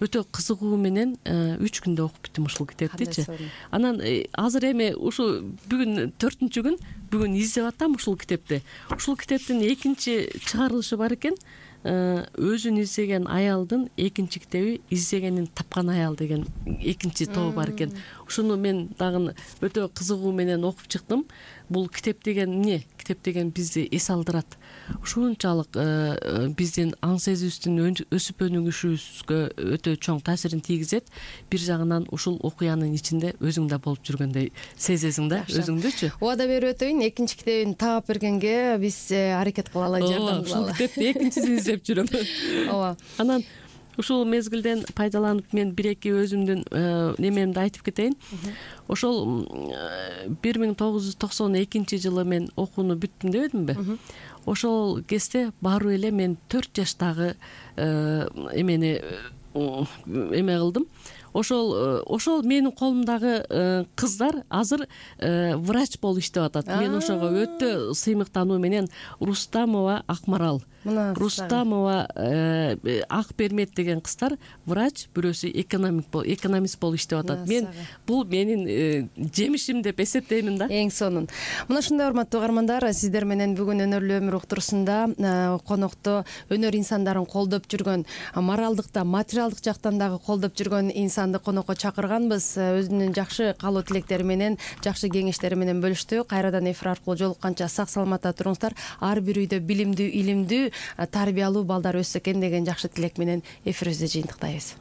өтө кызыгуу менен үч күндө окуп бүттүм ушул китептичи. Анан азыр эми ушу бүгүн төртүнчү күн, бүгүн издеп атам ушул китепти. Ушул китептин экинчи чыгарылышы бар экен. Өзүн издеген аялдын экинчи китеби «Издегенин тапкан аял» деген экинчи тобу бар экен. Ушуну мен дагы өтө кызыгуу менен окуп чыктым. Бул китеп деген эмне? Китеп деген бизди эс алдырат. Ушунчалык биздин аң сезүүбүздүн өсүп өнүгүшүбүзгө өтө чоң таасирин тийгизет. Бир жагынан ушул окуянын ичинде өзүң да болуп жүргөндөй сезесиң да, өзүңдүчү. Убада берип өтөйүн, экинчи китебин таап бергенге биз аракет кылалы, жардам кылалы. Ушул китепти экинчисин издеп жүрөм. Ооба. Анан ушул мезгилден пайдаланып мен бир-эки өзүмдүн немемди айтып кетейин. Ошол бир миң тогуз жүз токсон экинчи жылы мен окууну бүттүм дебедимби? Ошол кезде баруу эле мен төрт жаштагы эмени эме кылдым. Ошол ошол менин колумдагы кыздар азыр врач болуп иштеп атат. Мен ошого өтө сыймыктануу менен Рустамова Акмарал, Рустамова Акбермет деген кыздар врач, бирөөсү экономик экономист болуп иштеп атат. Мен бул менин жемишим деп эсептеймин да. Эң сонун. Мына ушундай урматтуу угармандар, сиздер менен бүгүн өнөрлүү өмүр уктурусунда конокто өнөр инсандарын колдоп жүргөн, моралдык да, материалдык жактан дагы колдоп жүргөн инсанды конокко чакырганбыз. Өзүнүн жакшы каалоо тилектери менен, жакшы кеңештери менен бөлүштү. Кайрадан эфир аркылуу жолукканча сак саламатта туруңуздар. Ар бир үйдө билимдүү, илимдүү, тарбиялуу балдар өссө экен деген жакшы тилек менен эфирибизди жыйынтыктайбыз.